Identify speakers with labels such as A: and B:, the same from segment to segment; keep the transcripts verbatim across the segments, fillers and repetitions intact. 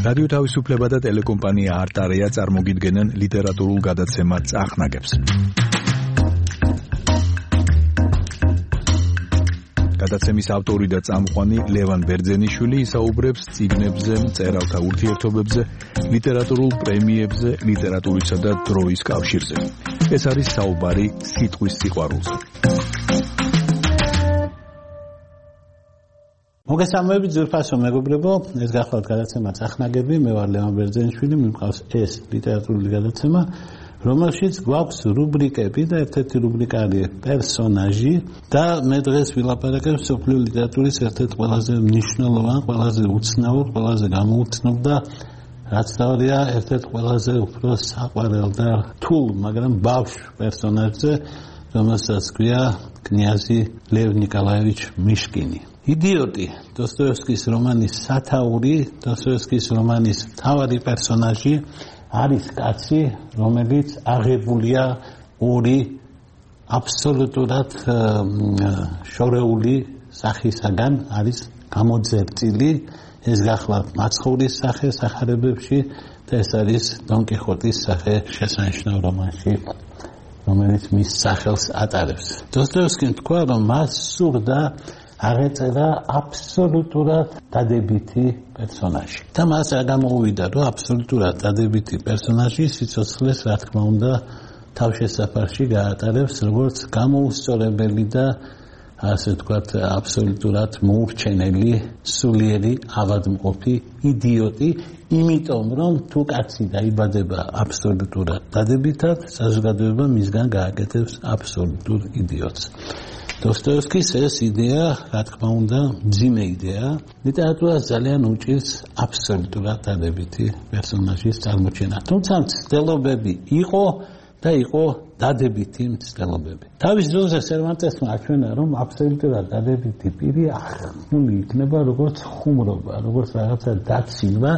A: რადიო თავისუფლება და ტელეკომპანია არტარია წარმოგიდგენენ ლიტერატურულ გადაცემა წახნაგებს. გადაცემის ავტორი და წამყვანი ლევან ბერძენიშვილი ისაუბრებს წიგნებზე, მწერალთა ურთიერთობებზე, ლიტერატურულ პრემიებზე, ლიტერატურისა და დროის კავშირზე. ეს არის საუბარი სიტყვის სიყვარულზე.
B: მოგესალმებით ძვირფასო მეგობრებო, ეს გახლავთ გადაცემა წახნაგები, მე ვარ ლევან ბერძენიშვილი, მიმყავს ეს ლიტერატურული გადაცემა, რომელშიც გვაქვს რუბრიკები და ერთ-ერთი რუბრიკა არის პერსონაჟი და მე დღეს ვილაპარაკებ მსოფლიო ლიტერატურის ერთ-ერთ ყველაზე მნიშვნელოვან, ყველაზე უცნაურ, ყველაზე გამოუცნობ და რაც თავია ერთ-ერთ ყველაზე უფრო საყვარელ და რთულ, მაგრამ ბავშვ პერსონაჟზე, რომელსაც ქვია კნიაზი ლევ ნიკოლაევიჩ მიშკინი. იდიოტი, დოსტოევსკის რომანის სათაური, დოსტოევსკის რომანის მთავარი პერსონაჟი არის კაცი, რომელიც აღებულია ორი აბსოლუტურად შორეული სახისაგან, არის გამოძერწილი, ეს გახლავთ მაცხოვრის სახე სახარებებში და ეს არის დონ კიხოტის სახე შესანიშნავ რომანში, რომელიც მის სახელს ატარებს. დოსტოევსკიმ თქვა, რომ მას სურდა აღეწერა აბსოლუტურად დადებითი პერსონაჟი. და მას რა გამოუვიდა, რომ აბსოლუტურად დადებითი პერსონაჟი სიცოცხლეს, რა თქმა უნდა, თავშესაფარში გაატარებს, როგორც გამოუსწორებელი და ასე ვთქვათ, აბსოლუტურად მოურჩენელი, სულიერი, ავადმყოფი, იდიოტი, იმიტომ რომ თუ კაცი დაიბადება აბსოლუტურად დადებითად, საზოგადოება მისგან გააკეთებს აბსოლუტურ იდიოტს. დოსტოევსკის ეს იდეა, რა თქმა უნდა, მძიმე იდეა, ლიტერატურას ძალიან უჭირს აბსოლუტურად დადებითი პერსონაჟის წარმოჩენა. თუმცა მცდელობები იყო და იყო დადებითი მცდელობები. თავის დროზე სერვანტესმა აჩვენა, რომ აბსოლუტურად დადებითი პირი ახმული იქნება როგორც ხუმრობა, როგორც რაღაცა დაცინვა,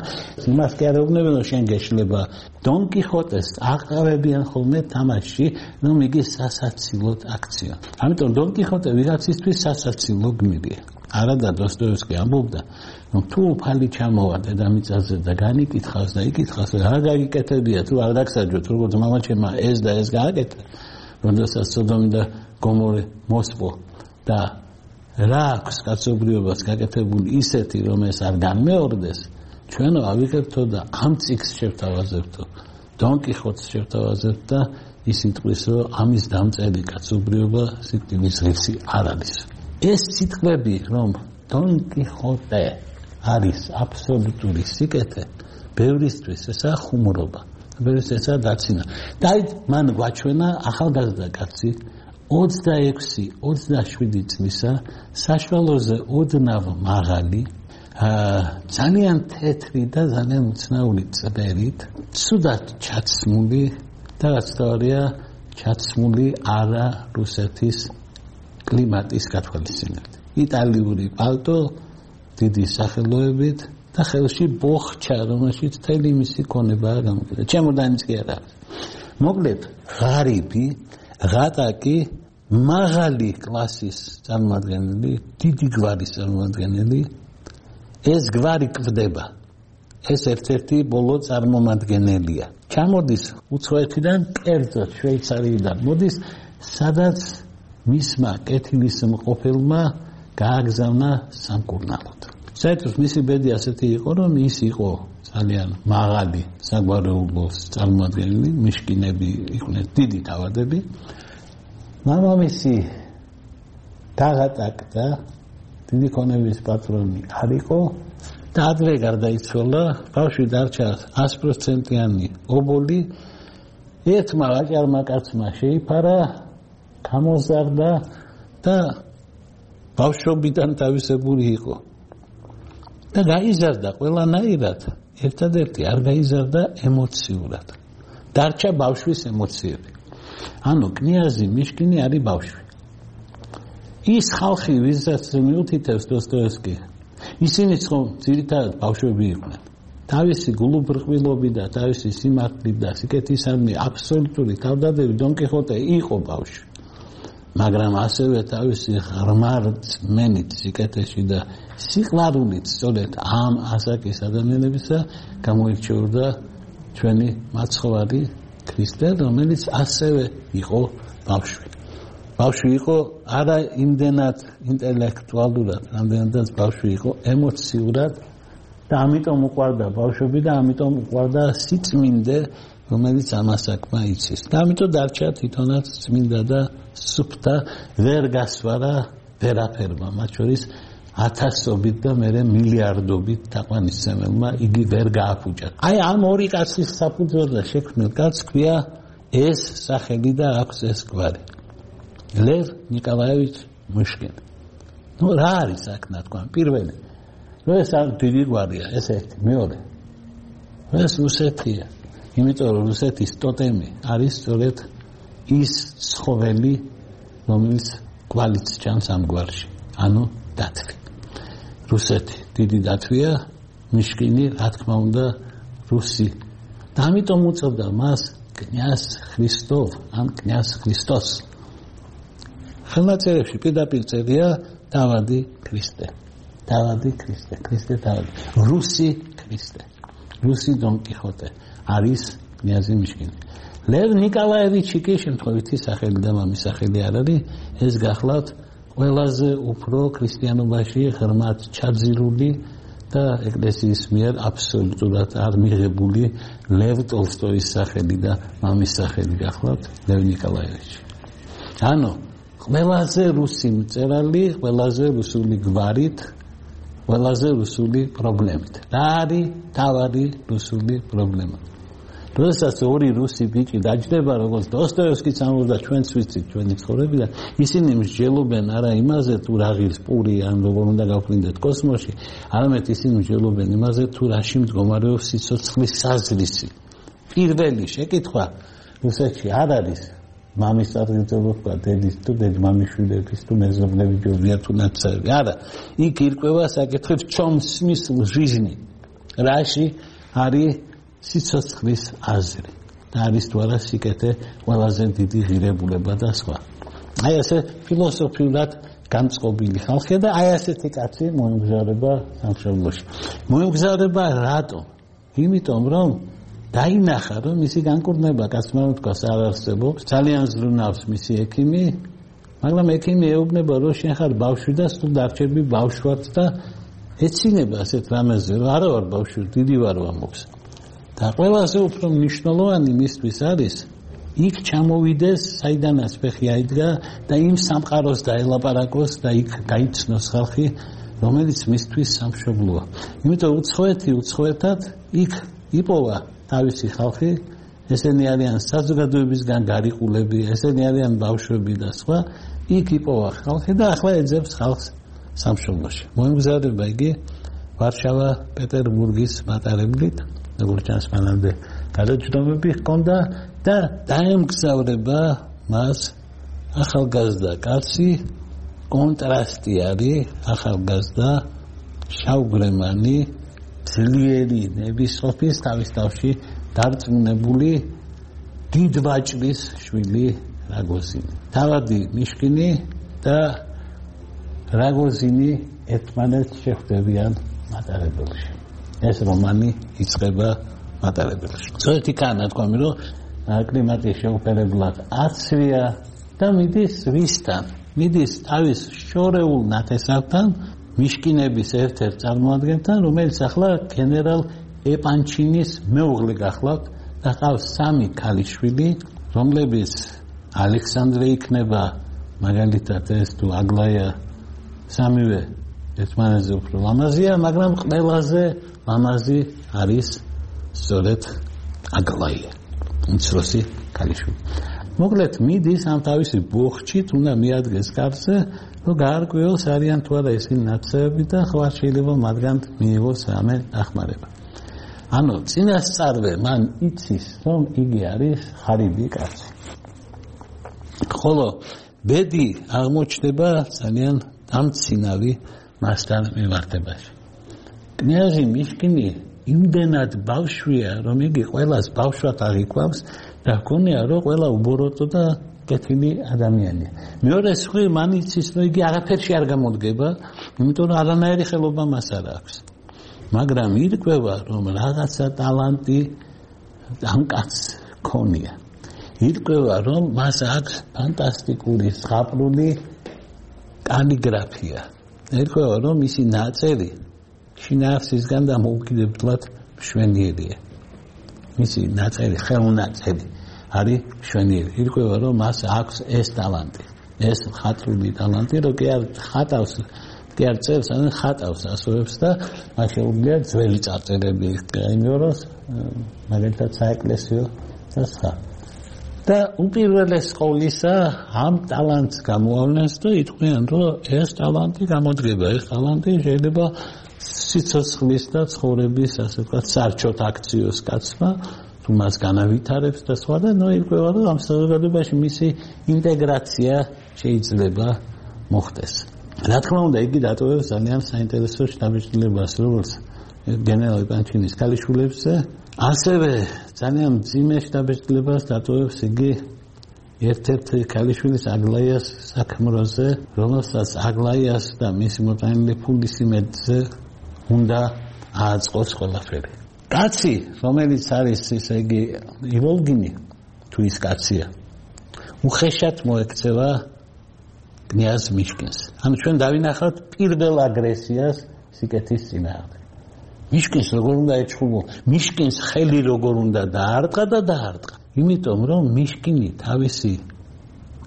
B: იმას კი არ ეუბნებიან, რომ შენ გეშლება. დონ კიხოტეს აყარებიან ხოლმე თამაში, რომ იგი სასაცილოდ აქცია. ამიტომ დონ კიხოტე ვიღაცისთვის სასაცილო გმირია. არადა დოსტოევსკი ამბობდა, რომ თუ უფალი ჩამოვა დედამიწაზე და განიკითხავს და იკითხავს, რა გაიკეთებია, თუ არ დაგსაჯოთ, როგორც მამაჩემმა ეს და ეს გააკეთა, როდესაც სოდომი და გომორე მოსპო და რა აქვს კაცობრიობას გაკეთებული ისეთი, რომ ეს არ განმეორდეს, ჩვენ ავიღებთო და ამ წიგნს შევთავაზებთო, დონ კიხოტს შევთავაზებთ და ის იტყვის, რომ ამის დამწერი კაცობრიობა სიკვდილის ღირსი არ არის. ეს სიტყვები, რომ დონ კიხოტე არის აბსოლუტური სიკეთე, ბევრისთვის ესაა ხუმრობა, ბევრისთვის ესაა დაცინა. და აი მან გვაჩვენა ახალგაზრდა კაცი, ოცდაექვსი ოცდაშვიდი წლისა, საშუალოზე ოდნავ მაღალი, ძალიან თეთრი და ძალიან უცნაური წვერით, ცუდად ჩაცმული და რაც თავია ჩაცმული არა რუსეთის კლიმატის გათვალისწინებით. იტალიური პალტო, დიდი სახელოებით და ხელში ბოხჩა, რომელშიც მთელი მისი ქონებაა გამოკიდებული. ჩემოდანიც კი არ არის. მოკლედ, ღარიბი, ღატაკი, მაღალი კლასის წარმომადგენელი, დიდი გვარის წარმომადგენელი, ეს გვარი კვდება. ეს ერთ-ერთი ბოლო წარმომადგენელია. ჩამოდის უცხოეთიდან, კერძოდ შვეიცარიიდან მოდის, სადაც მისმა კეთილის მყოფელმა გააგზავნა სამკურნალოდ. საერთოდ მისი ბედი ასეთი იყო, რომ ის იყო ძალიან მაღალი საგვარეულოს წარმომადგენელი, მიშკინები იყვნენ დიდი თავადები. მამამისი დაღატაკდა, დიდი ქონების პატრონი არ იყო და ადრე გარდაიცვალა, ბავშვი დარჩა ას პროცენტიანი ობოლი, ერთმა ვაჭარმა კაცმა შეიფარა, გამოზარდა და ბავშვობიდან თავისებური იყო. და გაიზარდა ყველანაირად, ერთადერთი არ გაიზარდა ემოციურად. დარჩა ბავშვის ემოციები. ანუ კნიაზი მიშკინი არის ბავშვი. ის ხალხი, ვისაც მიუთითებს დოსტოევსკი, ისინიც ხომ ძირითადად ბავშვები იყვნენ. თავისი გულუბრყვილობი და თავისი სიმართლით და სიკეთისადმი აბსოლუტური თავდადებით დონ კიხოტე იყო ბავშვი. მაგრამ ასევე თავისი ღრმარწმენით სიკეთეში და სიყვარულით სწორედ ამ ასაკის ადამიანებისა გამოირჩეოდა ჩვენი მაცხოვარი ქრისტე, რომელიც ასევე იყო ბავშვი. ბავშვი იყო არა იმდენად ინტელექტუალურად, რამდენადაც ბავშვი იყო ემოციურად და ამიტომ უყვარდა ბავშვები და ამიტომ უყვარდა სიწმინდე, რომელიც ამასაკმა იცის. და ამიტომ დარჩა თვითონაც წმინდა და სუფთა, ვერ გასვარა ვერაფერმა, მათ შორის ათასობით და მერე მილიარდობით თაყვანისმცემელმა იგი ვერ გააფუჭა. აი ამ ორი კაცის საფუძველზე შექმნილ კაცს ქვია ეს სახელი და აქვს ეს გვარი. ლევ ნიკოლაევიჩ მუშკინი. ნუ რა არის აქ ნათქვამი? პირველი. ნუ ეს დიდი გვარია, ეს ერთი, მეორე. ეს რუსეთია. იმიტომ რომ რუსეთის ტოტემი არის სწორედ ის ცხოველი, რომელიც კვალიც ჩანს ამ გვარში. ანუ დათვი. რუსეთი დიდი დათვია, მიშკინი, რა თქმა უნდა, რუსი. და ამიტომ უწევდა მას კნязь Христов, ან კნязь Христос. ხელნაწერებში პირდაპირ წერია დავადი ქრისტე. დავადი ქრისტე, ქრისტე დავადი. რუსი ქრისტე. რუსი დონ კიხოტე არის კნязь მიშკინი. ლევ ნიკოლაევიჩი კი შემთხვევითი სახელი და მამის სახელი არ არის, ეს გახლავთ ყველაზე უფრო ქრისტიანობაში ღრმად ჩაძირული და ეკლესიის მიერ აბსოლუტურად არ მიღებული ლევ ტოლსტოის სახელი და მამის სახელი გახლავთ ლევ ნიკოლაევიჩი. ანუ ყველაზე რუსი მწერალი, ყველაზე რუსული გვარით, ყველაზე რუსული პრობლემით. რა არის თავარი რუსული პრობლემა? როდესაც ორი რუსი ბიჭი დაჯდება, როგორც დოსტოევსკიც ამბობდა, ჩვენც ვიცით ჩვენი ცხოვრებიდან, ისინი მსჯელობენ არა იმაზე, თუ რა ღირს პური, ან როგორ უნდა გავფრინდეთ კოსმოსში, არამედ ისინი მსჯელობენ იმაზე, თუ რაში მდგომარეობს სიცოცხლის საზრისი. პირველი შეკითხვა რუსეთში არ არის მამის წარგრძელობა თქვა დედის თუ დედმამიშვილების თუ მეზობლები ჯობია თუ ნაცარი. არა, იქ ირკვევა საკითხებს ჩომ სმისლ ჟიზნი. რაში არის სიცოცხლის აზრი და არის თუ არა სიკეთე ყველაზე დიდი ღირებულება და სხვა. აი ესე ფილოსოფიურად განწყობილი ხალხი და აი ასეთი კაცი მოემგზავრება სამშობლოში. მოემგზავრება რატომ? იმიტომ რომ დაინახა რომ მისი განკურნება კაცმა თქვას არ არსებობს, ძალიან ზრუნავს მისი ექიმი, მაგრამ ექიმი ეუბნება რომ შენ ხარ ბავშვი და სულ დარჩები ბავშვად და ეცინება ასეთ რამეზე რომ არა ვარ ბავშვი, დიდი ვარ ამოქს. და ყველაზე უფრო მნიშვნელოვანი მისთვის არის იქ ჩამოვიდეს, საიდანაც ფეხი აიდგა და იმ სამყაროს დაელაპარაკოს და იქ გაიცნოს ხალხი, რომელიც მისთვის სამშობლოა. იმიტომ უცხოეთი უცხოეთად იქ იპოვა თავისი ხალხი, ესენი არიან საზოგადოებისგან გარიყულები, ესენი არიან ბავშვები და სხვა, იქ იპოვა ხალხი და ახლა ეძებს ხალხს სამშობლოში. მოემგზავრება იგი ვარშავა პეტერბურგის მატარებლით, როგორც ჩანს მანამდე გადაჯდომები ჰქონდა და დაემგზავრება მას ახალგაზრდა კაცი, კონტრასტი არის ახალგაზრდა შავგრემანი ძლიერი ნებისყოფის თავის თავში დარწმუნებული დიდვაჭრის შვილი რაგოზინი. თავადი მიშკინი და რაგოზინი ერთმანეთს შეხვდებიან მატარებელში. ეს რომანი იწყება მატარებელში. ზოეთი კანა თქვამი რომ კლიმატის შეუპერებლად აცვია და მიდის ვისთან? მიდის თავის შორეულ ნათესავთან, მიშკინების ერთ-ერთ წარმოადგენთან, რომელიც ახლა გენერალ ეპანჩინის მეუღლე გახლავთ და ყავს სამი ქალიშვილი, რომლებიც ალექსანდრე იქნება მაგალითად ეს თუ აგლაია სამივე ერთმანეთზე უფრო ლამაზია, მაგრამ ყველაზე ლამაზი არის სწორედ აგლაია, უმცროსი ქალიშვილი. მოკლედ მიდის ამ თავისი ბოხჩით, უნდა მიადგეს კარზე, რომ გაარკვიოს არიან თუ არა ისინი ნაცრები და ხო არ შეიძლება მათგან მიიღოს რამე დახმარება. ანუ წინასწარვე მან იცის, რომ იგი არის ღარიბი კაცი. ხოლო ბედი აღმოჩნდება ძალიან დამცინავი მასთან მიმართებაში. კნიაზი მიშკინი იმდენად ბავშვია, რომ იგი ყველას ბავშვად აღიქვამს და ჰქონია, რომ ყველა უბოროტო და გაკეთილი ადამიანია. მეორე სხვი მან იცის, რომ იგი არაფერში არ გამოდგება, იმიტომ რომ არანაირი ხელობა მას არ აქვს. მაგრამ ირკვევა, რომ რაღაცა ტალანტი ამ კაცს ქონია. ირკვევა, რომ მას აქვს ფანტასტიკური ზღაპრული კალიგრაფია. ირკვევა, რომ მისი ნაწერი შინაარსისგან დამოუკიდებლად მშვენიერია. მისი ნაწერი, ხელნაწერი არის მშვენიერი. ირკვევა, რომ მას აქვს ეს ტალანტი, ეს ხატრული ტალანტი, რომ კი არ ხატავს, კი არ წერს, ან ხატავს ასოებს და მას შეუძლია ძველი წარწერები გაიმეოროს, მაგალითად საეკლესიო და სხვა. და უპირველეს ყოვლისა ამ ტალანტს გამოავლენს და იტყვიან, რომ ეს ტალანტი გამოდგება, ეს ტალანტი შეიძლება სიცოცხლის და ცხოვრების, ასე ვთქვათ, სარჩოთ აქციოს კაცმა, თუ მას განავითარებს და სხვა და ნუ ირკვევა, რომ ამ საზოგადოებაში მისი ინტეგრაცია შეიძლება მოხდეს. რა თქმა უნდა, იგი დატოვებს ძალიან საინტერესო შთაბეჭდილებას, როგორც გენერალ პანჩინის ქალიშვილებზე, ასევე ძალიან მძიმე შთაბეჭდილებას დატოვებს იგი ერთ-ერთი ქალიშვილის აგლაიას საქმროზე, რომელსაც აგლაიას და მისი მოტანილი ფულის იმედზე უნდა ააწყოს ყველაფერი. კაცი, რომელიც არის ესე იგი ივოლგინი, თუ ის კაცია, უხეშად მოექცევა კნიაზ მიშკინს. ანუ ჩვენ დავინახავთ პირველ აგრესიას სიკეთის წინააღმდეგ. მიშკინს როგორ უნდა ეჩხუბო, მიშკინს ხელი როგორ უნდა დაარტყა და დაარტყა. იმიტომ რომ მიშკინი თავისი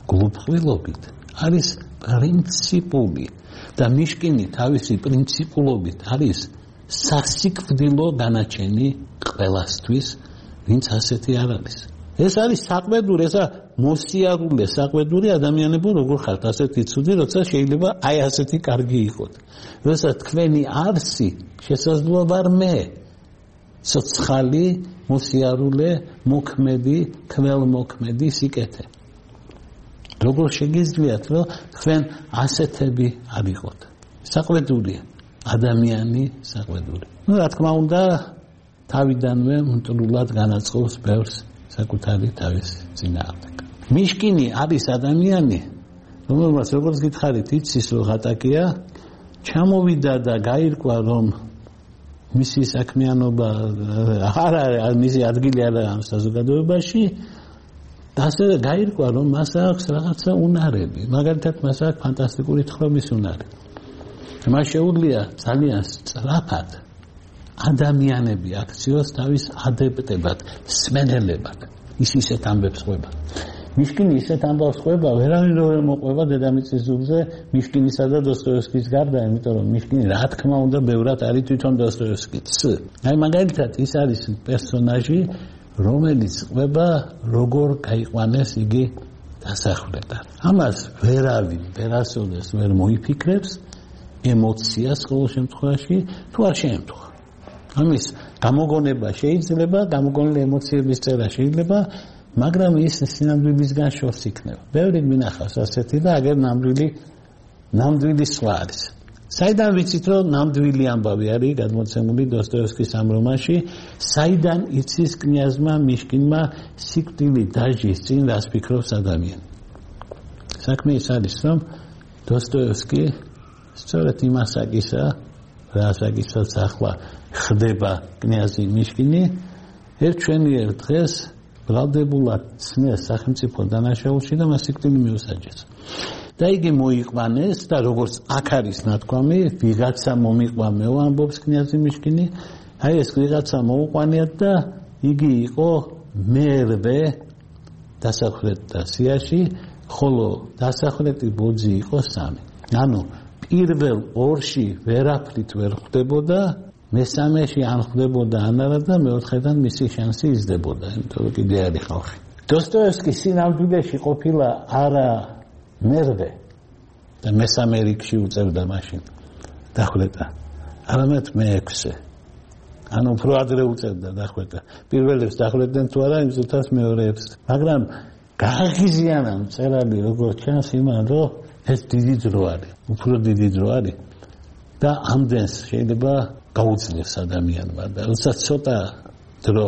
B: გულუბრყვილობით არის პრინციპული და მიშკინი თავისი პრინციპულობით არის სასიკვდილო განაჩენი ყველასთვის, ვინც ასეთი არ არის. ეს არის საყვედური, ესა მოსიარულე საყვედური ადამიანებო, როგორ ხართ ასეთი ცუდი, როცა შეიძლება აი ასეთი კარგი იყოთ. როცა თქვენი არსი შესაძლოა ვარ მე, ცოცხალი, მოსიარულე, მოქმედი, ქველმოქმედი სიკეთე. როგორ შეგიძლიათ, რომ თქვენ ასეთები არ იყოთ. საყვედურია, ადამიანი საყვედური. ну, რა თქმა უნდა, თავიდანვე მტრულად განაწყობს ბევრს საკუთარი თავის წინააღმდეგ. მიშკინი არის ადამიანი, რომელსაც როგორც გითხარით, იცის რომ ღატაკია, ჩამოვიდა და გაირკვა რომ მისი საქმიანობა არ არის, მისი ადგილი არ არის ამ საზოგადოებაში და ასევე გაირკვა რომ მას აქვს რაღაცა უნარები, მაგალითად მას აქვს ფანტასტიკური თხრობის უნარი. მას შეუძლია ძალიან სწრაფად ადამიანები აქციოს თავის ადებტებად, სმენელებად. ის ისეთ ამბებს ყვება. მიშკინი ისეთ ამბავს ყვება, ვერავინ რო ვერ მოყვება დედამიწის ზურგზე მიშკინისა და დოსტოევსკის გარდა, იმიტომ რომ მიშკინი რა თქმა უნდა ბევრად არის თვითონ დოსტოევსკიც. აი მაგალითად ის არის პერსონაჟი, რომელიც ყვება როგორ გაიყვანეს იგი დასახვრეტად. ამას ვერავინ ვერასოდეს ვერ მოიფიქრებს, ემოციას ყოველ შემთხვევაში თუ არ შეემთხვა. ამის გამოგონება შეიძლება, გამოგონილი ემოციების წერა შეიძლება, მაგრამ ის სინამდვილისგან შორს იქნება. ბევრი მინახავს ასეთი და აგერ ნამდვილი ნამდვილი სხვა არის. საიდან ვიცით რომ ნამდვილი ამბავი არის გადმოცემული დოსტოევსკის ამ რომანში, საიდან იცის კნიაზმა მიშკინმა სიკვდილი დაჟის წინ რას ფიქრობს ადამიანი. საქმე ის არის რომ დოსტოევსკი სწორედ იმ ასაკისა, რა ასაკისაც ახლა ხდება კნიაზი მიშკინი, ერთ ჩვენიერ დღეს ბრალდებულად ცნეს სახელმწიფო დანაშაულში და მას სიკვდილი მიუსაჯეს. და იგი მოიყვანეს და როგორც აქ არის ნათქვამი, ვიღაცა მომიყვამეო, ამბობს კნიაზი მიშკინი, აი ეს ვიღაცა მოუყვანიათ და იგი იყო მერვე დასახვრეტთა სიაში, ხოლო დასახვრეტი ბოძი იყო სამი. ანუ პირველ ორში ვერაფრით ვერ ხვდებოდა, მესამეში ან ხვდებოდა ან არა და მეოთხედან მისი შანსი იზრდებოდა, იმიტომ რომ კიდე არის ხალხი. დოსტოევსკი სინამდვილეში ყოფილა არა მერვე და მესამე რიგში უწევდა მაშინ დახვრეტა, არამედ მეექვსე. ანუ უფრო ადრე უწევდა დახვრეტა. პირველებს დახვრეტდნენ თუ არა, იმ წუთას მეორეებს. მაგრამ გააღიზიანა მწერალი როგორც ჩანს იმან, რომ ეს დიდი დრო არის, უფრო დიდი დრო არის და ამდენს შეიძლება გაუძლებს ადამიანმა და როცა ცოტა დრო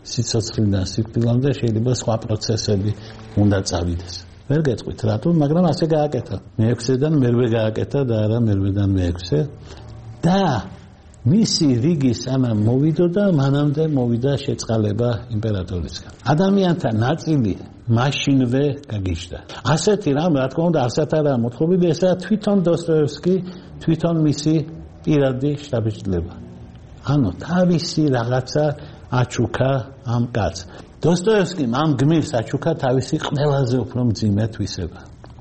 B: სიცოცხლიდან სიკვდილამდე შეიძლება სხვა პროცესები უნდა წავიდეს. ვერ გეტყვით რატომ, მაგრამ ასე გააკეთა. მეექვსედან მერვე გააკეთა და არა მერვედან მეექვსე და მისი რიგი სანამ მოვიდო და მანამდე მოვიდა შეწყალება იმპერატორისგან. ადამიანთა ნაწილი მაშინვე გაგიჟდა. ასეთი რამ რა თქმა უნდა არსად არა მოთხოვილი, ესაა თვითონ დოსტოევსკი, თვითონ მისი პირადი შთაბეჭდილება. ანუ თავისი რაღაცა აჩუქა ამ კაცს. დოსტოევსკიმ ამ გმირს აჩუქა თავისი ყველაზე უფრო მძიმე თვისება,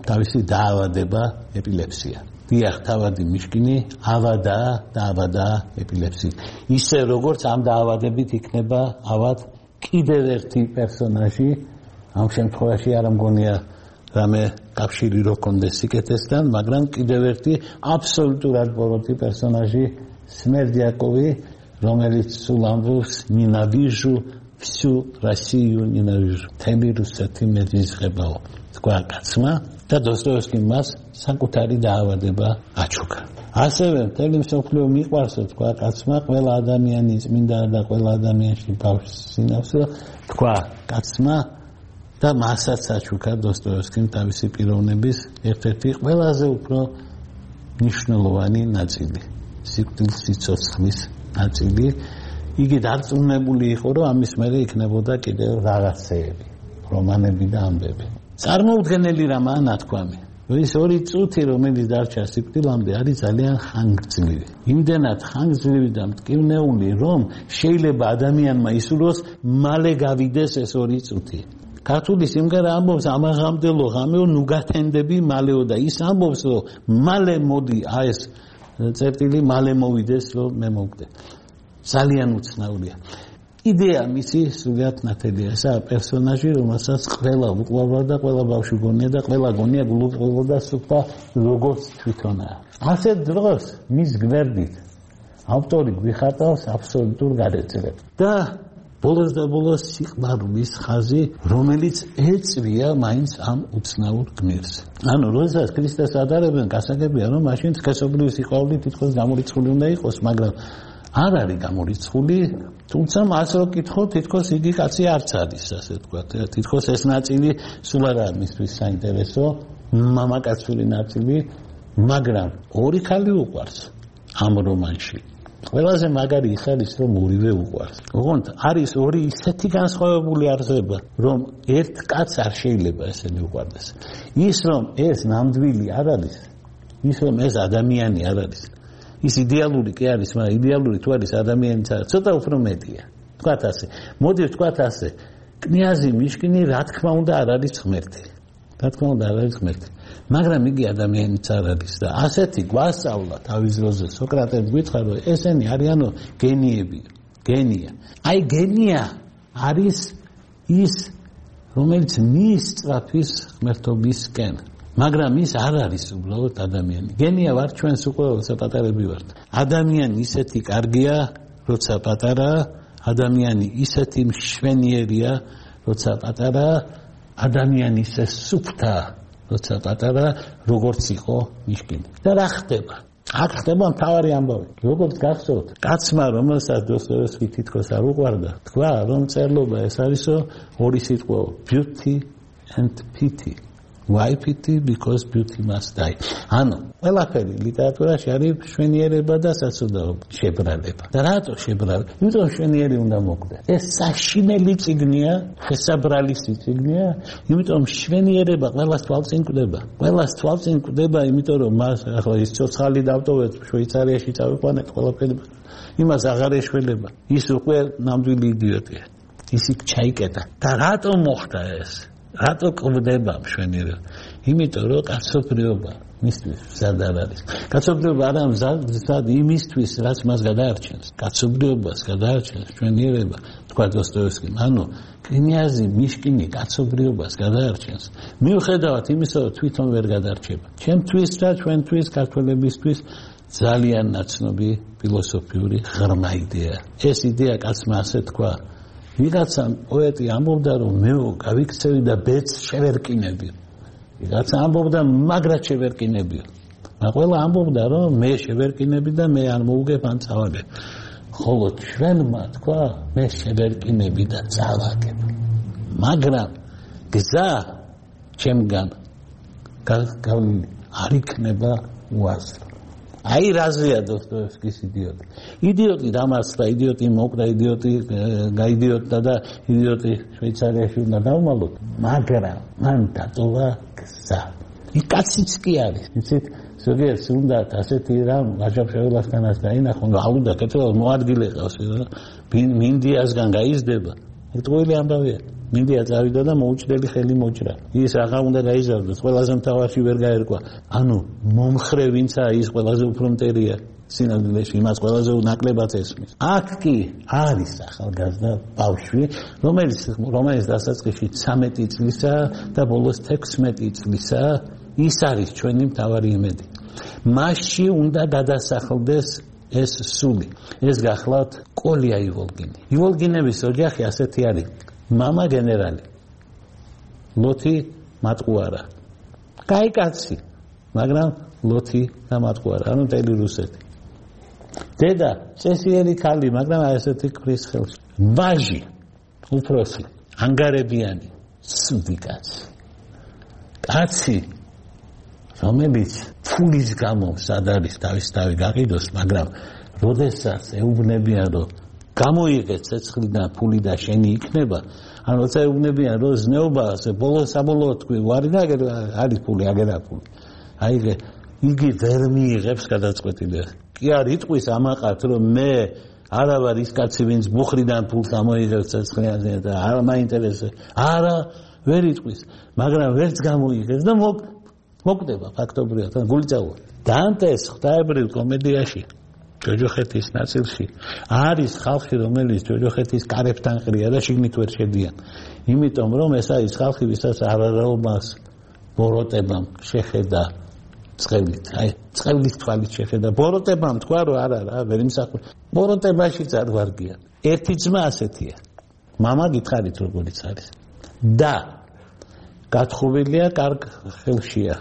B: თავისი დაავადება ეპილეფსია. დიახ, თავადი მიშკინი ავადა და ავადა ეპილეფსიით. ისე როგორც ამ დაავადებით იქნება ავად კიდევ ერთი პერსონაჟი, ამ შემთხვევაში არ მგონია რამე კავშირი რო კონდეს სიკეთესთან, მაგრამ კიდევ ერთი აბსოლუტურად ბოროტი პერსონაჟი სმერდიაკოვი, რომელიც სულ ამბობს ნინავიჟუ всю Россию ненавижу. თემი რუსეთი მეძისხებაო. თქვა კაცმა და დოსტოევსკიმ მას საკუთარი დაავადება აჩუქა. ასევე მთელი მსოფლიო მიყვარსო, თქვა კაცმა, ყველა ადამიანი წმინდა და ყველა ადამიანში ბავშვს სინავსო, თქვა კაცმა და მასაც აჩუქა დოსტოევსკიმ თავისი პიროვნების ერთ-ერთი ყველაზე უფრო მნიშვნელოვანი ნაწილი, სიკვდილის სიცოცხლის ნაწილი. იგი დარწმუნებული იყო, რომ ამის მერე იქნებოდა კიდევ რაღაცეები, რომანები და ამბები. წარმოუდგენელი რამაა ნათქვამი. ის ორი წუთი, რომელიც დარჩა სიკვდილამდე, არის ძალიან ხანგრძლივი. იმდენად ხანგრძლივი და მტკივნეული, რომ შეიძლება ადამიანმა ისურვოს მალე გავიდეს ეს ორი წუთი. ქართული სიმღერა ამბობს ამაღამდელო ღამეო ნუ გათენდები მალეო და ის ამბობს, რომ მალე მოდი აი ეს წერტილი მალე მოვიდეს, რომ მე მოვკვდე. ძალიან უცნაურია. იდეა მისი სულად ნათელია. ესაა პერსონაჟი, რომელსაც ყველა უყვარდა და ყველა ბავშვი გონია და ყველა გონია გულუყურდა სუფთა როგორც თვითონაა. ასეთ დროს მის გვერდით ავტორი გვიხატავს აბსოლუტურ გადაწერებს და ბოლოს და ბოლოს სიყვარულის ხაზი, რომელიც ეწვია მაინც ამ უცნაურ გმირს. ანუ როდესაც ქრისტეს ადარებენ, გასაგებია, რომ მაშინ სქესობრივი სიყვარული თითქოს გამორიცხული უნდა იყოს, მაგრამ არ არის გამორიცხული, თუმცა მას რო კითხო, თითქოს იგი კაცი არც არის, ასე ვთქვათ. თითქოს ეს ნაწილი სულ არ არის მისთვის საინტერესო, მამაკაცური ნაწილი, მაგრამ ორი ქალი უყვარს ამ რომანში. ყველაზე მაგარი ის არის, რომ ორივე უყვარს. ოღონდ არის ორი ისეთი განსხვავებული არსება, რომ ერთ კაცს არ შეიძლება ესენი უყვარდეს. ის რომ ეს ნამდვილი არ არის, ის რომ ეს ადამიანი არ არის. ის იდეალური კი არის, მაგრამ იდეალური თუ არის ადამიანიც არა, ცოტა უფრო მეტია. თქვათ ასე. მოდი ვთქვათ ასე. კნიაზი მიშკინი რა თქმა უნდა არ არის ღმერთი. რა თქმა უნდა არ არის ღმერთი. მაგრამ იგი ადამიანიც არ არის და ასეთი გვასწავლა თავის დროზე სოკრატეს გითხრა, რომ ესენი არიანო გენიები, გენია. აი გენია არის ის, რომელიც მისწრაფის ღმერთობისკენ. მაგრამ ის არ არის უბრალოდ ადამიანი. გენია ვარ ჩვენს უკვე საპატარები ვართ. ადამიანი ისეთი კარგია, როცა პატარა, ადამიანი ისეთი მშვენიერია, როცა პატარა, ადამიანი ისე სუფთა, როცა პატარა, როგორც იყო მიშკინი. და რა ხდება? აქ ხდება მთავარი ამბავი. როგორც გახსოვთ, კაცმა, რომელსაც დოსტოევსკი თითქოს არ უყვარდა, თქვა, რომ წერლობა ეს არისო ორი სიტყვა, beauty and pity. Why pity? Because beauty must die. ანუ ყველაფერი ლიტერატურაში არის მშვენიერება და საცოდაობა, შებრალება. და რატო შებრალება? იმიტომ მშვენიერი უნდა მოკვდეს. ეს საშინელი წიგნია, შესაბრალისი წიგნია, იმიტომ მშვენიერება ყველას თვალწინ კვდება. ყველას თვალწინ კვდება, იმიტომ რომ მას ახლა ის ცოცხალი დავტოვეთ, შვეიცარიაში წავიყვანეთ ყველაფერი. იმას აღარ ეშველება. ის უკვე ნამდვილი იდიოტია. ის იქ ჩაიკეტა. და რატო მოხდა ეს? რატო კვდება მშვენიერება? იმიტომ რომ კაცობრიობა მისთვის მზად არ არის. კაცობრიობა არა მზად იმისთვის, რაც მას გადაარჩენს. კაცობრიობას გადაარჩენს მშვენიერება, თქვა დოსტოევსკიმ. ანუ კნიაზი მიშკინი კაცობრიობას გადაარჩენს. მიუხედავად იმისა, რომ თვითონ ვერ გადარჩება. ჩემთვის და ჩვენთვის, ქართველებისთვის ძალიან ნაცნობი ფილოსოფიური ღრმა იდეა. ეს იდეა კაცმა ასე თქვა. ვიღაცა პოეტი ამბობდა, რომ მე გავიქცევი და ბედს შევერკინები. ვიღაცა ამბობდა, მაგრად შევერკინებიო. მაგრამ ყველა ამბობდა, რომ მე შევერკინები და მე არ მოუგებ ან წავალებ. ხოლო ჩვენმა თქვა მე შევერკინები და წავაგებ მაგრამ გზა ჩემგან გავლილი არ იქნება უაზრო აი რაზეა დოსტოევსკის იდიოტი იდიოტი დამარცხდა იდიოტი მოკდა იდიოტი გაიდიოტდა და იდიოტი შვეიცარიაში უნდა დავმალოთ მაგრამ მან დატოვა გზა იქ კაციც კი არის იცით ზოგიერთს უნდა ასეთი რამ ვაჟაფშეულასგანაც დაინახონ ალუდა კეთება მოადგილე ყავს რა მინდიასგან გაიზრდება ეს ყოველი ამბავია მინდია წავიდა და მოუჭდელი ხელი მოჭრა ის აღა უნდა გაიზარდოს ყველაზე მთავარში ვერ გაერკვა ანუ მომხრე ვინცა ის ყველაზე უფრო მტერია სინამდვილეში იმას ყველაზე ნაკლებად ესმის აქ კი არის ახალგაზრდა ბავშვი რომელიც რომელიც დასაწყისში ცამეტი წლისაა და ბოლოს თექვსმეტი წლისაა ის არის ჩვენი მთავარი იმედი მასში უნდა გადასახლდეს ეს სული ეს გახლავთ კოლია ივოლგინი ივოლგინების ოჯახი ასეთი არის მამა გენერალი ლოთი მატყუარა კაი კაცი მაგრამ ლოთი და მატყუარა ანუ მთელი რუსეთი დედა წესიერი ქალი მაგრამ ასეთი ქრის ხელში ვაჟი უფროსი ანგარებიანი სუდი კაცი კაცი რომელიც ფულის გამო სად არის თავის თავი გაყიდოს მაგრამ როდესაც ეუბნებიან რომ გამოიღეთ ცეცხლიდან ფული და შენი იქნება ან როცა ეუბნებიან რომ ზნეობა ასე ბოლო საბოლოოდ თქვი ვარი და არის ფული აგერა ფული აი იგი ვერ მიიღებს გადაწყვეტილებას კი არ იტყვის ამაყართ რომ მე არა ვარ ის კაცი ვინც ბუხრიდან ფულს ამოიღებს ცეცხლიანზე და არ მაინტერესებს არა ვერ იტყვის მაგრამ ვერც გამოიღებს და მოკდება ფაქტობრივად და გული წავა დანტეს ღვთაებრივ კომედიაში ჯოჯოხეთის ნაწილში არის ხალხი რომელიც ჯოჯოხეთის კარებთან ყრია და შიგნით ვერ შედიან იმიტომ რომ ეს არის ხალხი ვისაც არარაობას ბოროტებამ შეხედა წყევლით აი წყევლის თვალით შეხედა ბოროტებამ თქვა რომ არა რა ვერ იმსახურე ბოროტებაშიც არ ვარგიან ერთი ძმა ასეთია მამა გითხარით როგორიც არის და გათხოვილია კარგ ხელშია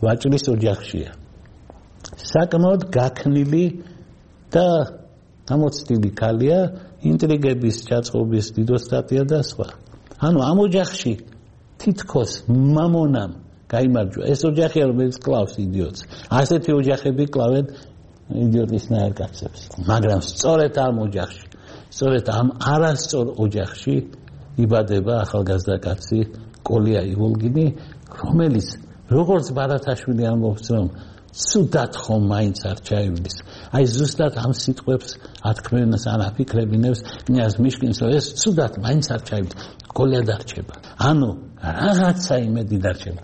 B: ვაჭრის ოჯახშია საკმაოდ გაქნილი და ამოცდილი ქალია ინტრიგების ჩაწყობის დიდოსტატია და სხვა ანუ ამ ოჯახში თითქოს მამონამ გაიმარჯვა ეს ოჯახია რომელიც კლავს იდიოტს ასეთი ოჯახები კლავენ იდიოტისნაირ კაცებს მაგრამ სწორედ ამ ოჯახში სწორედ ამ არასწორ ოჯახში იბადება ახალგაზრდა კაცი კოლია ივოლგინი რომელიც როგორც ბარათაშვილი ამბობს რომ ცუდად ხომ მაინც არ ჩაივლის აი ზუსტად ამ სიტყვებს ათქმევინებს ან აფიქრებინებს კნიაზ მიშკინს რომ ეს ცუდად მაინც არ ჩაივლის კოლია დარჩება ანუ რაღაცა იმედი დარჩება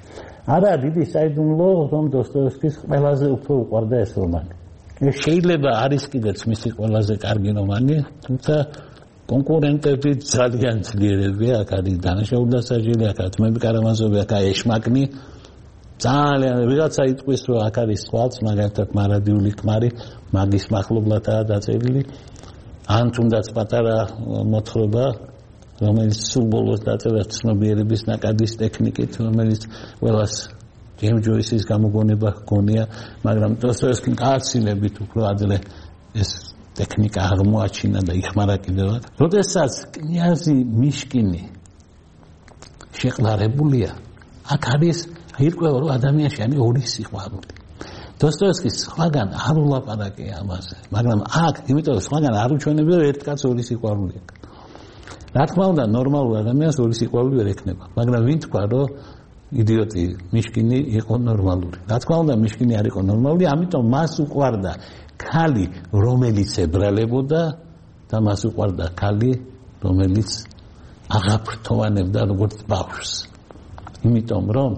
B: არა დიდი საიდუმლო რომ დოსტოევსკის ყველაზე უფრო უყვარდა ეს რომანი შეიძლება არის კიდეც მისი ყველაზე კარგი რომანი თუმცა კონკურენტები ძალიან ძლიერებია აქ არის დანაშაული დასაჯელი აქ თმები კარამაზოვი აქ ეშმაკნი ძალიან ვიღაცა იტყვის რომ აქ არის სხვაც მაგალითად მარადიული ქმარი მაგის მახლობლადაა დაწერილი ან თუნდაც პატარა მოთხრობა რომელიც სულ ბოლოს დაწერა ცნობიერების ნაკადის ტექნიკით რომელიც ყველას ჯეიმს ჯოისის გამოგონება გონია მაგრამ დოსტოევსკიმ გააცილებით უფრო ადრე ეს ტექნიკა აღმოაჩინა და იხმარა კიდევაც როდესაც კნიაზი მიშკინი შეყლარებულია აქ არის ირკვევა რომ ადამიანში არის ორი სიყვარული დოსტოევსკის სხვაგან არ ულაპარაკია ამაზე მაგრამ აქ იმიტომ რომ სხვაგან არ უჩვენებია რომ ერთ კაცს ორი სიყვარული აქვს რა თქმა უნდა ნორმალურ ადამიანს ორი სიყვარული ვერ ექნება მაგრამ ვინ თქვა რომ იდიოტი მიშკინი იყო ნორმალური რა თქმა უნდა მიშკინი არ იყო ნორმალური ამიტომ მას უყვარდა ქალი რომელიც ებრალებოდა და მას უყვარდა ქალი რომელიც აღაფრთოვანებდა როგორც ბავშვს იმიტომ რომ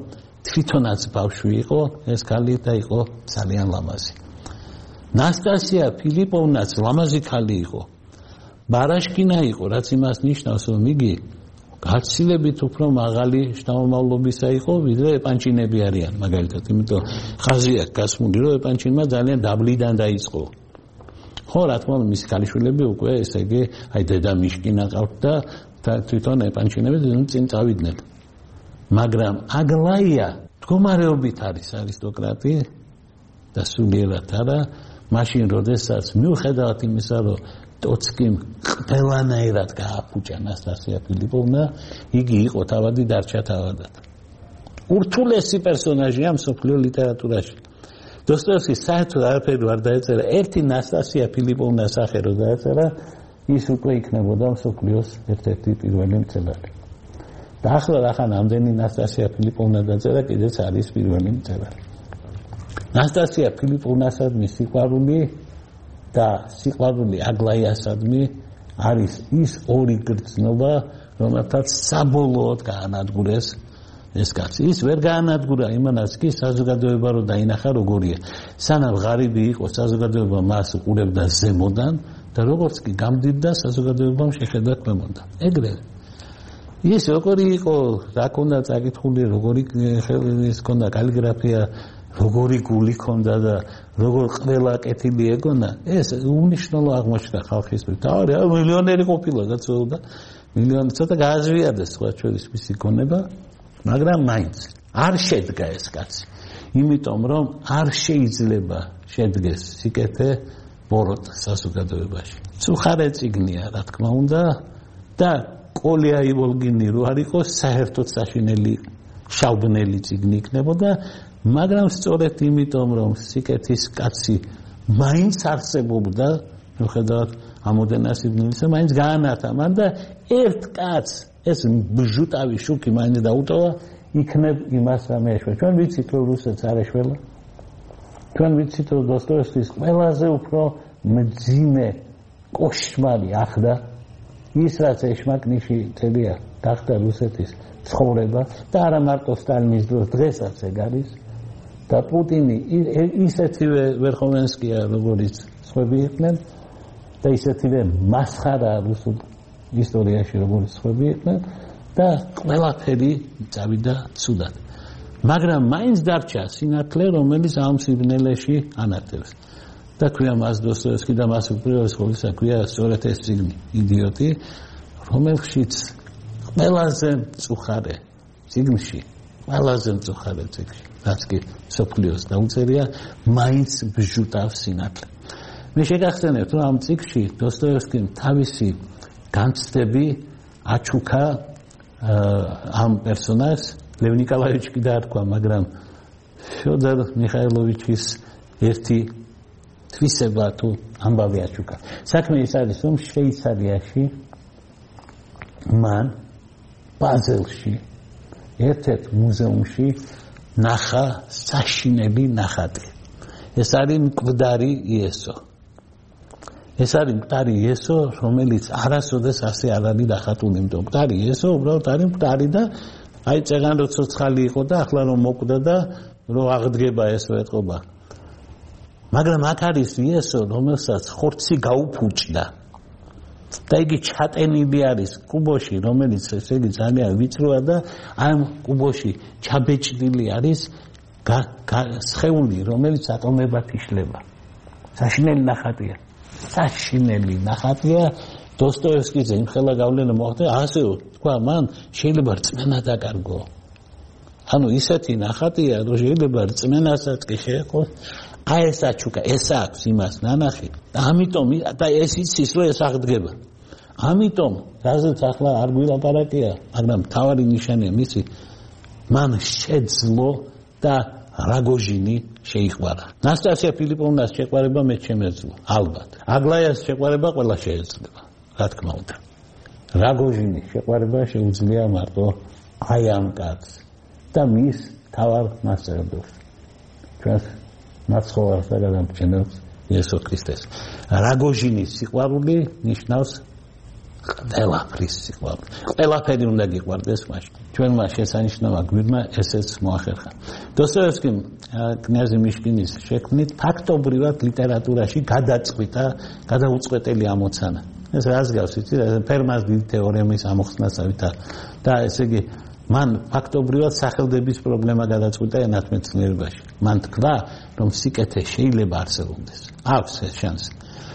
B: თვითონაც ბავშვი იყო ეს ქალი და იყო ძალიან ლამაზი ნასტასია ფილიპოვნაც ლამაზი ქალი იყო ბარაშკინა იყო რაც იმას ნიშნავს რომ იგი გაცილებით უფრო მაღალი შთამომავლობისა იყო ვიდრე ეპანჩინები არიან მაგალითად იმიტომ ხაზი აქვს გასმული რომ ეპანჩინმა ძალიან დაბლიდან დაიწყო ხო რა თქმა უნდა მისი ქალიშვილები უკვე ესე იგი აი დედა მიშკინა ყავთ და თვითონ ეპანჩინები წინ წავიდნენ მაგრამ აგლაია მდგომარეობით არის არისტოკრატი და სულიერად არა მაშინ როდესაც მიუხედავად იმისა, რომ ტოცკიმ ყველანაირად გააფუჭა ნასტასია ფილიპოვნა, იგი იყო თავადი დარჩა თავადად. ურთულესი პერსონაჟია მსოფლიო ლიტერატურაში. დოსტოევსკი საერთოდ არაფერი არ დაეწერა, ერთი ნასტასია ფილიპოვნას სახე რო დაეწერა, ის უკვე იქნებოდა მსოფლიოს ერთ-ერთი პირველი მწერალი. და ახლა რახან ამდენი ნასტასია ფილიპოვნა დაწერა, კიდეც არის პირველი მწერალი. ნასტასია ფილიპოვნასადმი სიყვარული და სიყვარული აგლაიასადმი არის ის ორი გრძნობა, რომელთაც საბოლოოდ გაანადგურეს ეს კაცი. ის ვერ გაანადგურა იმანაც კი საზოგადოება რო დაინახა როგორია. სანამ ღარიბი იყო საზოგადოება მას უყურებდა ზემოდან და როგორც კი გამდიდდა საზოგადოებამ შეხედა ქვემოდან. ეგრევე ის როგორი იყო, რა ქონდა წაკითხული, როგორი ის ქონდა კალიგრაფია, როგორი გული ქონდა და როგორ ყველა კეთილი ეგონა, ეს უნიშნელო აღმოჩნდა ხალხისთვის. თავი მილიონერი ყოფილა გაწეულდა, მილიონი ცოტა გააზვიადეს სხვა შორის მისი გონება, მაგრამ მაინც არ შედგა ეს კაცი. იმიტომ რომ არ შეიძლება შედგეს სიკეთე ბოროტ საზოგადოებაში. ცუხარე წიგნია, რა თქმა უნდა, და კოლია ივოლგინი რო არ იყოს, საერთოდ საშინელი შავბნელი წიგნი იქნებოდა, მაგრამ სწორედ იმიტომ რომ სიკეთის კაცი მაინც არსებობდა, მიუხედავად ამოდენა სიბნელისა, მაინც გაანათა მან და ერთ კაცს ეს ბჟუტავი შუქი მაინც დაუტოვა, იქნებ იმას ამეშვა. ჩვენ ვიცით რომ რუსეთს არ ეშველა. ჩვენ ვიცით რომ დოსტოევსკის ყველაზე უფრო მძიმე კოშმარი ახდა ის რაც ეშმაკნიში თელია გახდა რუსეთის ცხოვრება და არა მარტო სტალინის დროს, დღესაც ეგ არის. და პუტინი ისეთივე ვერხოვენსკია როგორც სხვები იყვნენ და ისეთივე მასხარა რუსულ ისტორიაში როგორც სხვები იყვნენ და ყველაფერი წავიდა ცუდად. მაგრამ მაინც დარჩა სინათლე, რომელიც ამ სიბნელეში ანათებს. და ქვია მას დოსტოევსკი და მას უპირველეს ყოვლისა ქვია სწორედ ეს წიგნი იდიოტი, რომელშიც ყველაზე მწუხარე წიგნში, ყველაზე მწუხარე წიგნში რაც კი სოფლიოს დაუწერია, მაინც ბჟუტავს სინათლე. მე შეგახსენებთ, რომ ამ წიგნში დოსტოევსკიმ თავისი განცდები აჩუქა ამ პერსონაჟს, ლევ ნიკოლაევიჩი კი დაარქვა, მაგრამ ფიოდორ მიხაილოვიჩის ერთი თვისება თუ ამბავი აჩუქა. საქმე ის არის, რომ შვეიცარიაში მან ბაზელში ერთ-ერთ მუზეუმში ნახა საშინელი ნახატი. ეს არის მკვდარი იესო. ეს არის მკვდარი იესო, რომელიც არასოდეს ასე არ არის ნახატული. იმიტომ მკვდარი იესო უბრალოდ არის მკვდარი და აი წეგან რო ცოცხალი იყო და ახლა რომ მოკვდა და რო აღდგება ესო ეთყობა. მაგრამ აქ არის იესო, რომელსაც ხორცი გაუფუჭდა. და იგი ჩატენილი არის კუბოში, რომელიც ესე იგი ძალიან ვიწროა და ამ კუბოში ჩაბეჭდილი არის სხეული, რომელიც ატომებად იშლება. საშინელი ნახატია. საშინელი ნახატია. დოსტოევსკიზე იმხელა გავლენა მოახდინა, ასე თქვა მან, შეიძლება რწმენა დაკარგო. ანუ ისეთი ნახატია, რომ შეიძლება რწმენასაც კი შეეყოს. აი ეს აჩუქა, ეს აქვს იმას ნანახი და ამიტომ და ეს იცის რომ ეს აღდგება. ამიტომ რაზეც ახლა არ გვილაპარაკია, მაგრამ მთავარი ნიშანია მისი, მან შეძლო და რაგოჟინი შეიყვარა. ნასტასია ფილიპოვნას შეყვარება მე შემეძლო, ალბათ. აგლაიას შეყვარება ყველა შეეძლება, რა თქმა უნდა. რაგოჟინის შეყვარება შეუძლია მარტო აი ამ კაცს და მის თავარ მასწავლებელს. ჩვენს მაცხოვარს და გადამფრენებს იესო ქრისტეს. რაგოჟინის სიყვარული ნიშნავს ყველაფრის სიყვარული. ყველაფერი უნდა გიყვარდეს მაშინ. ჩვენმა შესანიშნავა გვირმა ესეც მოახერხა. დოსტოევსკიმ კნიაზი მიშკინის შექმნით ფაქტობრივად ლიტერატურაში გადაწყვიტა, გადაუწყვეტელი ამოცანა. ეს რას გავს, იცი, ფერმას დიდი თეორემის ამოხსნასავით და ესე იგი მან ფაქტობრივად სახელდების პრობლემა გადაწყვიტა ენათმეცნიერებაში. მან თქვა, რომ სიკეთე შეიძლება არსებობდეს. აქვს ეს შანსი.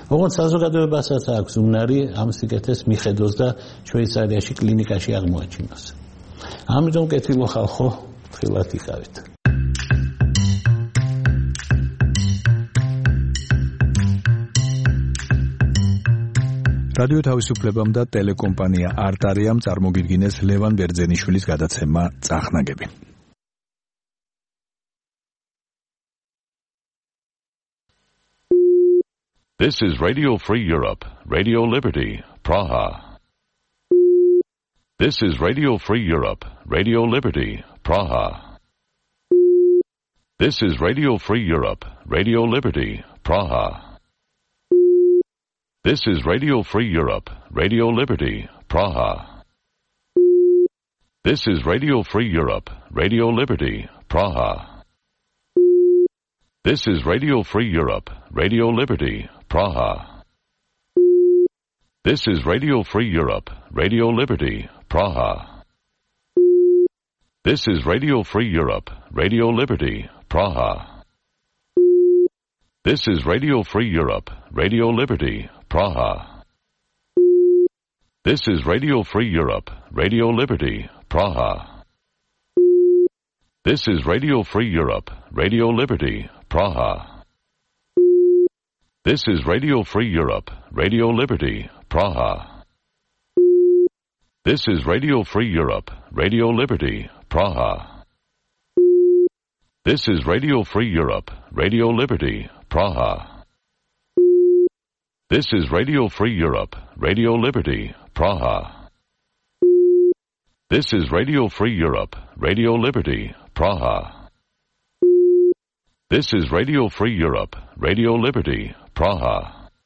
B: როგორც საზოგადოებასაც აქვს უნარი ამ სიკეთეს მიხედოს და შვეიცარიაში კლინიკაში აღმოაჩინოს. ამიტომ კეთილო ხალხო, ფრთხილად იყავით.
A: რადიო თავისუფლებამ და ტელეკომპანია არტარიამ წარმოგიდგინეს ლევან ბერძენიშვილის გადაცემა წახნაგები.
C: This is Radio Free Europe, Radio Liberty, Praha. This is Radio Free Europe, Radio Liberty, Praha. This is Radio Free Europe, Radio Liberty, Praha. This is Radio Free Europe, Radio Liberty, Praha. This is Radio Free Europe, Radio Liberty, Praha. This is Radio Free Europe, Radio Liberty, Praha. This is Radio Free Europe, Radio Liberty, Praha. This is Radio Free Europe, Radio Liberty, Praha. This is Radio Free Europe, Radio Liberty, Praha. This is Radio Free Europe, Radio Liberty, Praha. This is Radio Free Europe, Radio Liberty, Praha. This is Radio Free Europe, Radio Liberty, Praha. This is Radio Free Europe, Radio Liberty, Praha. This is Radio Free Europe, Radio Liberty, Praha. This is Radio Free Europe, Radio Liberty, Praha. This is Radio Free Europe, Radio Liberty, Praha. This is Radio Free Europe, Radio Liberty, Praha.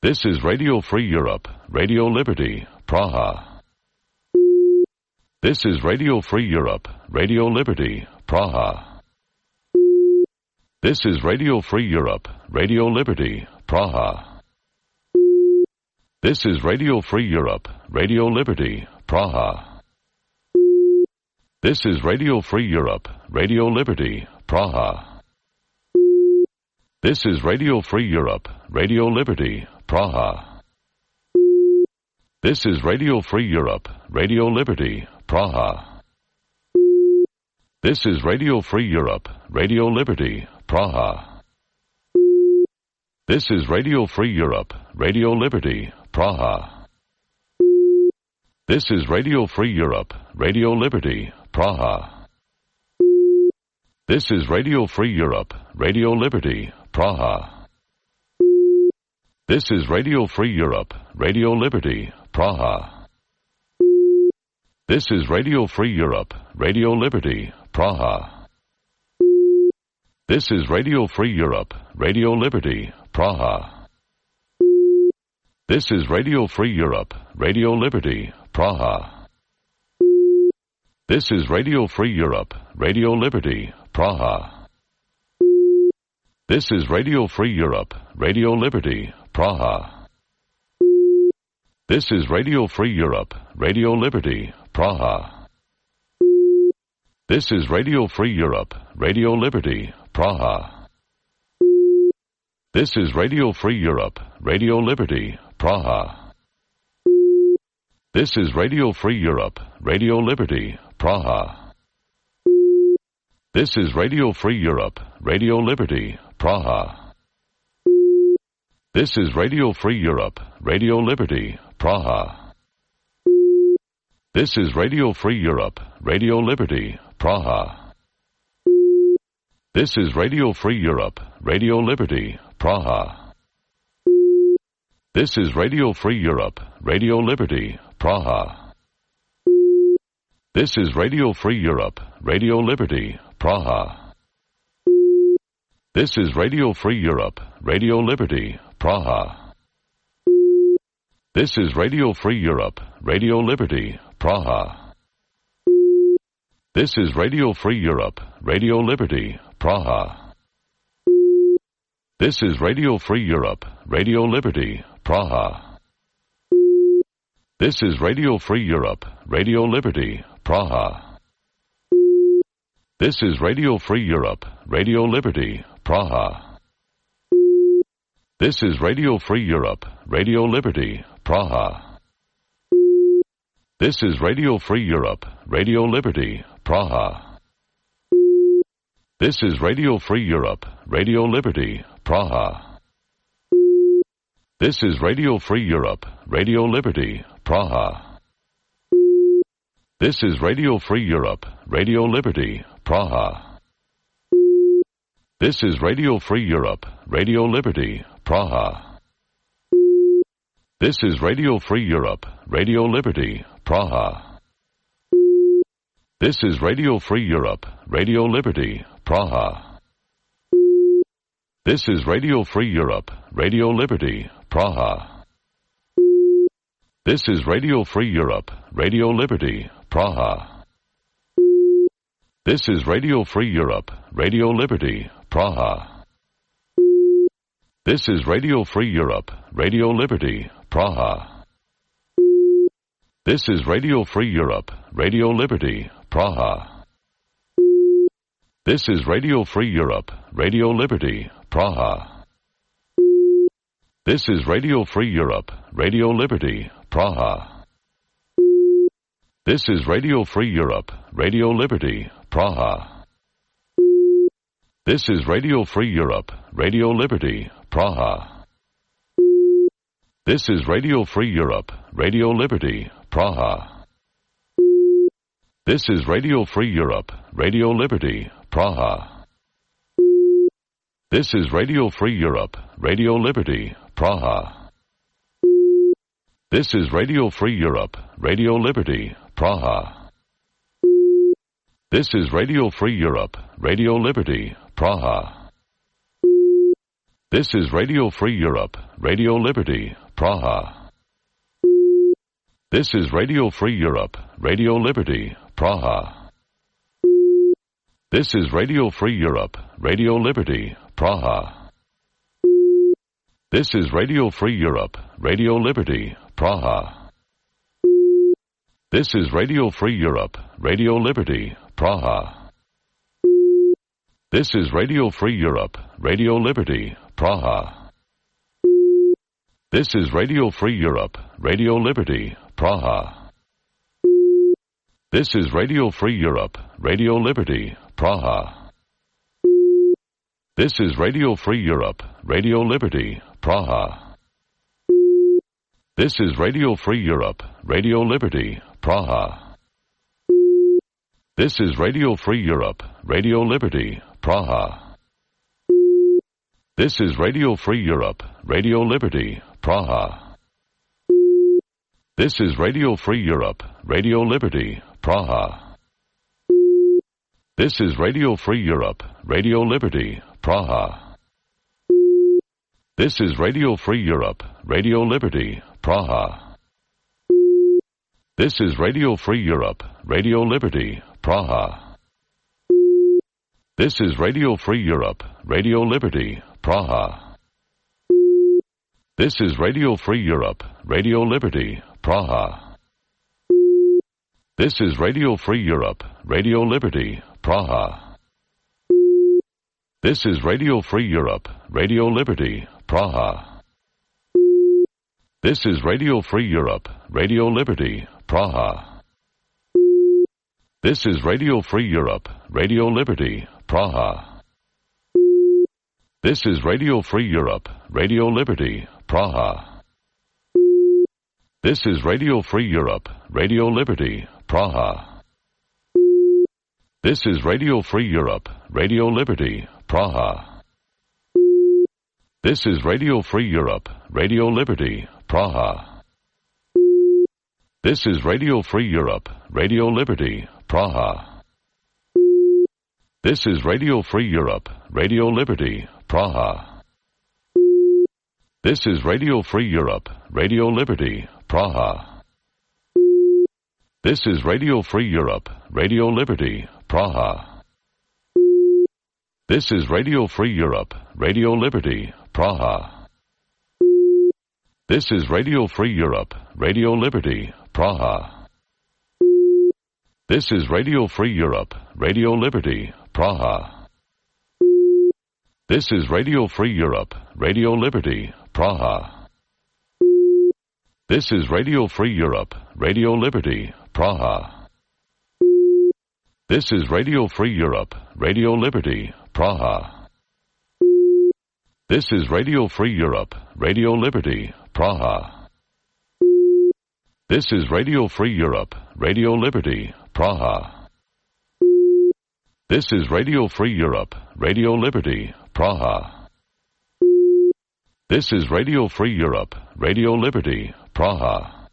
C: This is Radio Free Europe, Radio Liberty, Praha. This is Radio Free Europe, Radio Liberty, Praha. This is Radio Free Europe, Radio Liberty, Praha. This is Radio Free Europe, Radio Liberty, Praha. This is Radio Free Europe, Radio Liberty, Praha. This is Radio Free Europe, Radio Liberty, Praha. This is Radio Free Europe, Radio Liberty, Praha. This is Radio Free Europe, Radio Liberty, Praha. This is Radio Free Europe, Radio Liberty, Praha. This is Radio Free Europe, Radio Liberty, Praha. This is Radio Free Europe, Radio Liberty, Praha. This is Radio Free Europe, Radio Liberty, Praha. This is Radio Free Europe, Radio Liberty, Praha. This is Radio Free Europe, Radio Liberty, Praha. This is Radio Free Europe, Radio Liberty, Praha. This is Radio Free Europe, Radio Liberty, Praha. This is Radio Free Europe, Radio Liberty, Praha. This is Radio Free Europe, Radio Liberty, Praha. This is Radio Free Europe, Radio Liberty, Praha. This is Radio Free Europe, Radio Liberty, Praha. This is Radio Free Europe, Radio Liberty, Praha. This is Radio Free Europe, Radio Liberty, Praha. This is Radio Free Europe, Radio Liberty, Praha. This is Radio Free Europe, Radio Liberty, Praha. This is Radio Free Europe, Radio Liberty, Praha. This is Radio Free Europe, Radio Liberty, Praha. This is Radio Free Europe, Radio Liberty, Praha. This is Radio Free Europe, Radio Liberty, Praha. This is Radio Free Europe, Radio Liberty, Praha. This is Radio Free Europe, Radio Liberty, Praha. This is Radio Free Europe, Radio Liberty, Praha. This is Radio Free Europe, Radio Liberty, Praha. This is Radio Free Europe, Radio Liberty, Praha. This is Radio Free Europe, Radio Liberty, Praha. This is Radio Free Europe, Radio Liberty, Praha. This is Radio Free Europe, Radio Liberty, Praha. This is Radio Free Europe, Radio Liberty, Praha. This is Radio Free Europe, Radio Liberty, Praha. This is Radio Free Europe, Radio Liberty, Praha. This is Radio Free Europe, Radio Liberty, Praha. This is Radio Free Europe, Radio Liberty, Praha. This is Radio Free Europe, Radio Liberty, Praha. This is Radio Free Europe, Radio Liberty, Praha. This is Radio Free Europe, Radio Liberty, Praha. This is Radio Free Europe, Radio Liberty, Praha. This is Radio Free Europe, Radio Liberty, Praha. This is Radio Free Europe, Radio Liberty, Praha. This is Radio Free Europe, Radio Liberty, Praha. This is Radio Free Europe, Radio Liberty, Praha. This is Radio Free Europe, Radio Liberty, Praha. This is Radio Free Europe, Radio Liberty, Praha. This is Radio Free Europe, Radio Liberty, Praha. This is Radio Free Europe, Radio Liberty, Praha. This is Radio Free Europe, Radio Liberty, Praha. This is Radio Free Europe, Radio Liberty, Praha. This is Radio Free Europe, Radio Liberty, Praha. This is Radio Free Europe, Radio Liberty, Praha. This is Radio Free Europe, Radio Liberty, Praha. This is Radio Free Europe, Radio Liberty, Praha. This is Radio Free Europe, Radio Liberty, Praha. This is Radio Free Europe, Radio Liberty, Praha. This is Radio Free Europe, Radio Liberty, Praha. This is Radio Free Europe, Radio Liberty, Praha. This is Radio Free Europe, Radio Liberty, Praha. This is Radio Free Europe, Radio Liberty, Praha. This is Radio Free Europe, Radio Liberty, Praha. This is Radio Free Europe, Radio Liberty, Praha. This is Radio Free Europe, Radio Liberty, Praha. This is Radio Free Europe, Radio Liberty, Praha. This is Radio Free Europe, Radio Liberty, Praha. This is Radio Free Europe, Radio Liberty, Praha. This is Radio Free Europe, Radio Liberty, Praha. This is Radio Free Europe, Radio Liberty, Praha. This is Radio Free Europe, Radio Liberty, Praha. This is Radio Free Europe, Radio Liberty, Praha. This is Radio Free Europe, Radio Liberty, Praha. This is Radio Free Europe, Radio Liberty, Praha. This is Radio Free Europe, Radio Liberty, Praha. This is Radio Free Europe, Radio Liberty, Praha. This is Radio Free Europe, Radio Liberty, Praha. This is Radio Free Europe, Radio Liberty, Praha. This is Radio Free Europe, Radio Liberty, Praha. This is Radio Free Europe, Radio Liberty, Praha. This is Radio Free Europe, Radio Liberty, Praha. This is Radio Free Europe, Radio Liberty, Praha. This is Radio Free Europe, Radio Liberty, Praha. This is Radio Free Europe, Radio Liberty, Praha. This is Radio Free Europe, Radio Liberty, Praha. This is Radio Free Europe, Radio Liberty, Praha. This is Radio Free Europe, Radio Liberty, Praha. This is Radio Free Europe, Radio Liberty, Praha. This is Radio Free Europe, Radio Liberty, Praha. This is Radio Free Europe, Radio Liberty, Praha. This is Radio Free Europe, Radio Liberty, Praha. This is Radio Free Europe, Radio Liberty, Praha.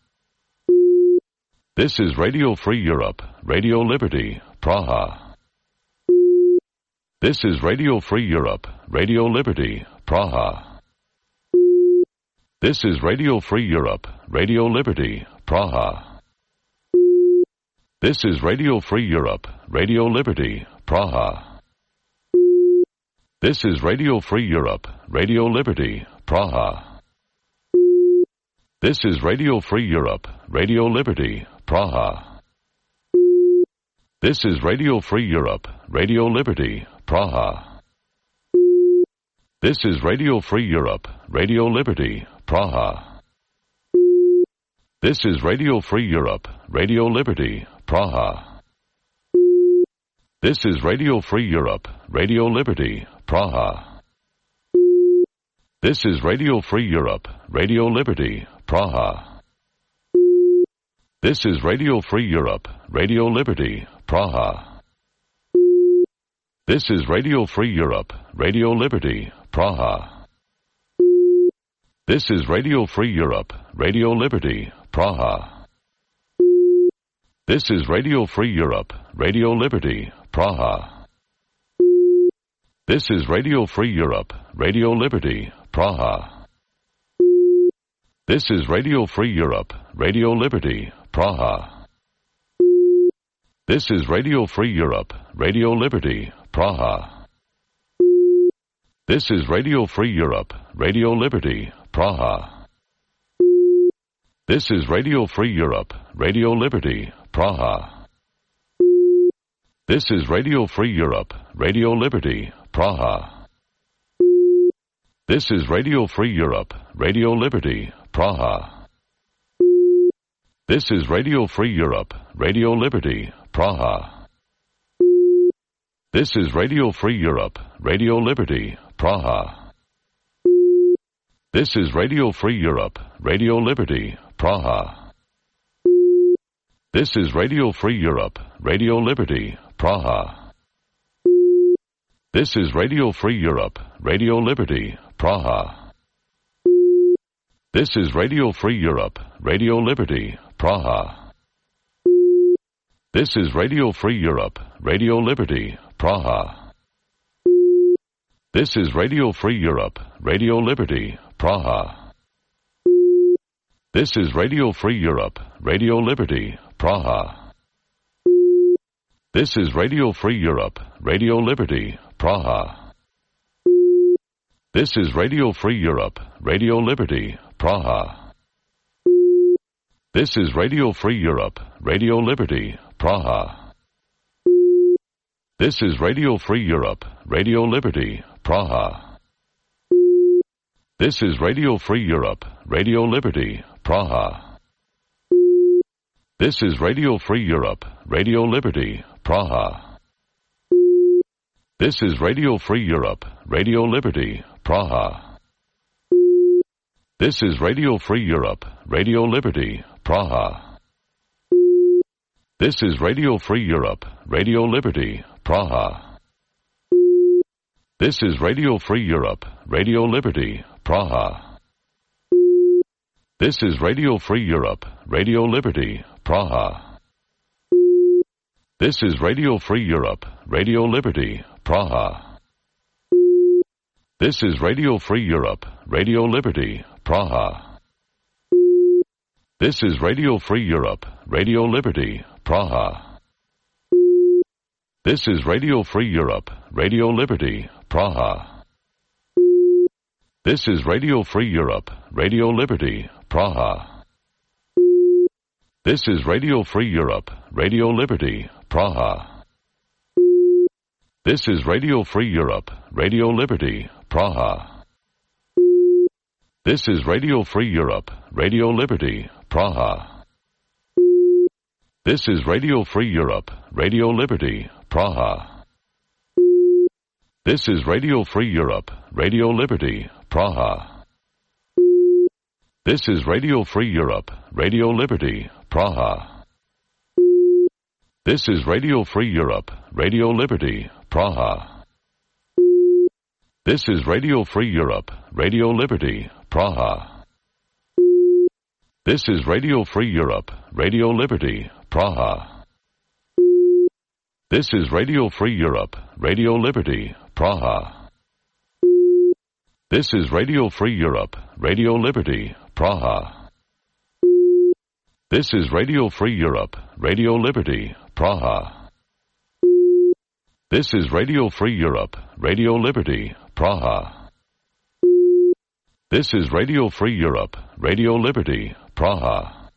C: This is Radio Free Europe, Radio Liberty, Praha. This is Radio Free Europe, Radio Liberty, Praha. This is Radio Free Europe, Radio Liberty, Praha. This is Radio Free Europe, Radio Liberty, Praha. This is Radio Free Europe, Radio Liberty, Praha. This is Radio Free Europe, Radio Liberty, Praha. This is Radio Free Europe, Radio Liberty, Praha. This is Radio Free Europe, Radio Liberty, Praha. This is Radio Free Europe, Radio Liberty, Praha. This is Radio Free Europe, Radio Liberty, Praha. This is Radio Free Europe, Radio Liberty, Praha. This is Radio Free Europe, Radio Liberty, Praha. This is Radio Free Europe, Radio Liberty, Praha. This is Radio Free Europe, Radio Liberty, Praha. This is Radio Free Europe, Radio Liberty, Praha. This is Radio Free Europe, Radio Liberty, Praha. This is Radio Free Europe, Radio Liberty, Praha. This is Radio Free Europe, Radio Liberty, Praha. This is Radio Free Europe, Radio Liberty, Praha. This is Radio Free Europe, Radio Liberty, Praha. This is Radio Free Europe, Radio Liberty, Praha. This is Radio Free Europe, Radio Liberty, Praha. This is Radio Free Europe, Radio Liberty, Praha. This is Radio Free Europe, Radio Liberty, Praha. This is Radio Free Europe, Radio Liberty, Praha. This is Radio Free Europe, Radio Liberty, Praha. This is Radio Free Europe, Radio Liberty, Praha. This is Radio Free Europe, Radio Liberty, Praha. This is Radio Free Europe, Radio Liberty, Praha. This is Radio Free Europe, Radio Liberty, Praha. This is Radio Free Europe, Radio Liberty, Praha. This is Radio Free Europe, Radio Liberty, Praha. This is Radio Free Europe, Radio Liberty, Praha. This is Radio Free Europe, Radio Liberty, Praha. This is Radio Free Europe, Radio Liberty, Praha. This is Radio Free Europe, Radio Liberty, Praha. This is Radio Free Europe, Radio Liberty, Praha. This is Radio Free Europe, Radio Liberty, Praha. This is Radio Free Europe, Radio Liberty, Praha. This is Radio Free Europe, Radio Liberty, Praha. This is Radio Free Europe, Radio Liberty, Praha. This is Radio Free Europe, Radio Liberty, Praha. This is Radio Free Europe, Radio Liberty, Praha. This is Radio Free Europe, Radio Liberty, Praha. This is Radio Free Europe, Radio Liberty, Praha. This is Radio Free Europe, Radio Liberty, Praha. This is Radio Free Europe, Radio Liberty, Praha. This is Radio Free Europe, Radio Liberty, Praha. This is Radio Free Europe, Radio Liberty, Praha. This is Radio Free Europe, Radio Liberty, Praha. This is Radio Free Europe, Radio Liberty, Praha. This is Radio Free Europe, Radio Liberty, Praha. This is Radio Free Europe, Radio Liberty, Praha. This is Radio Free Europe, Radio Liberty, Praha. This is Radio Free Europe, Radio Liberty, Praha. This is Radio Free Europe, Radio Liberty, Praha. This is Radio Free Europe, Radio Liberty, Praha. This is Radio Free Europe, Radio Liberty, Praha. This is Radio Free Europe, Radio Liberty, Praha. This is Radio Free Europe, Radio Liberty, Praha. This is Radio Free Europe, Radio Liberty, Praha.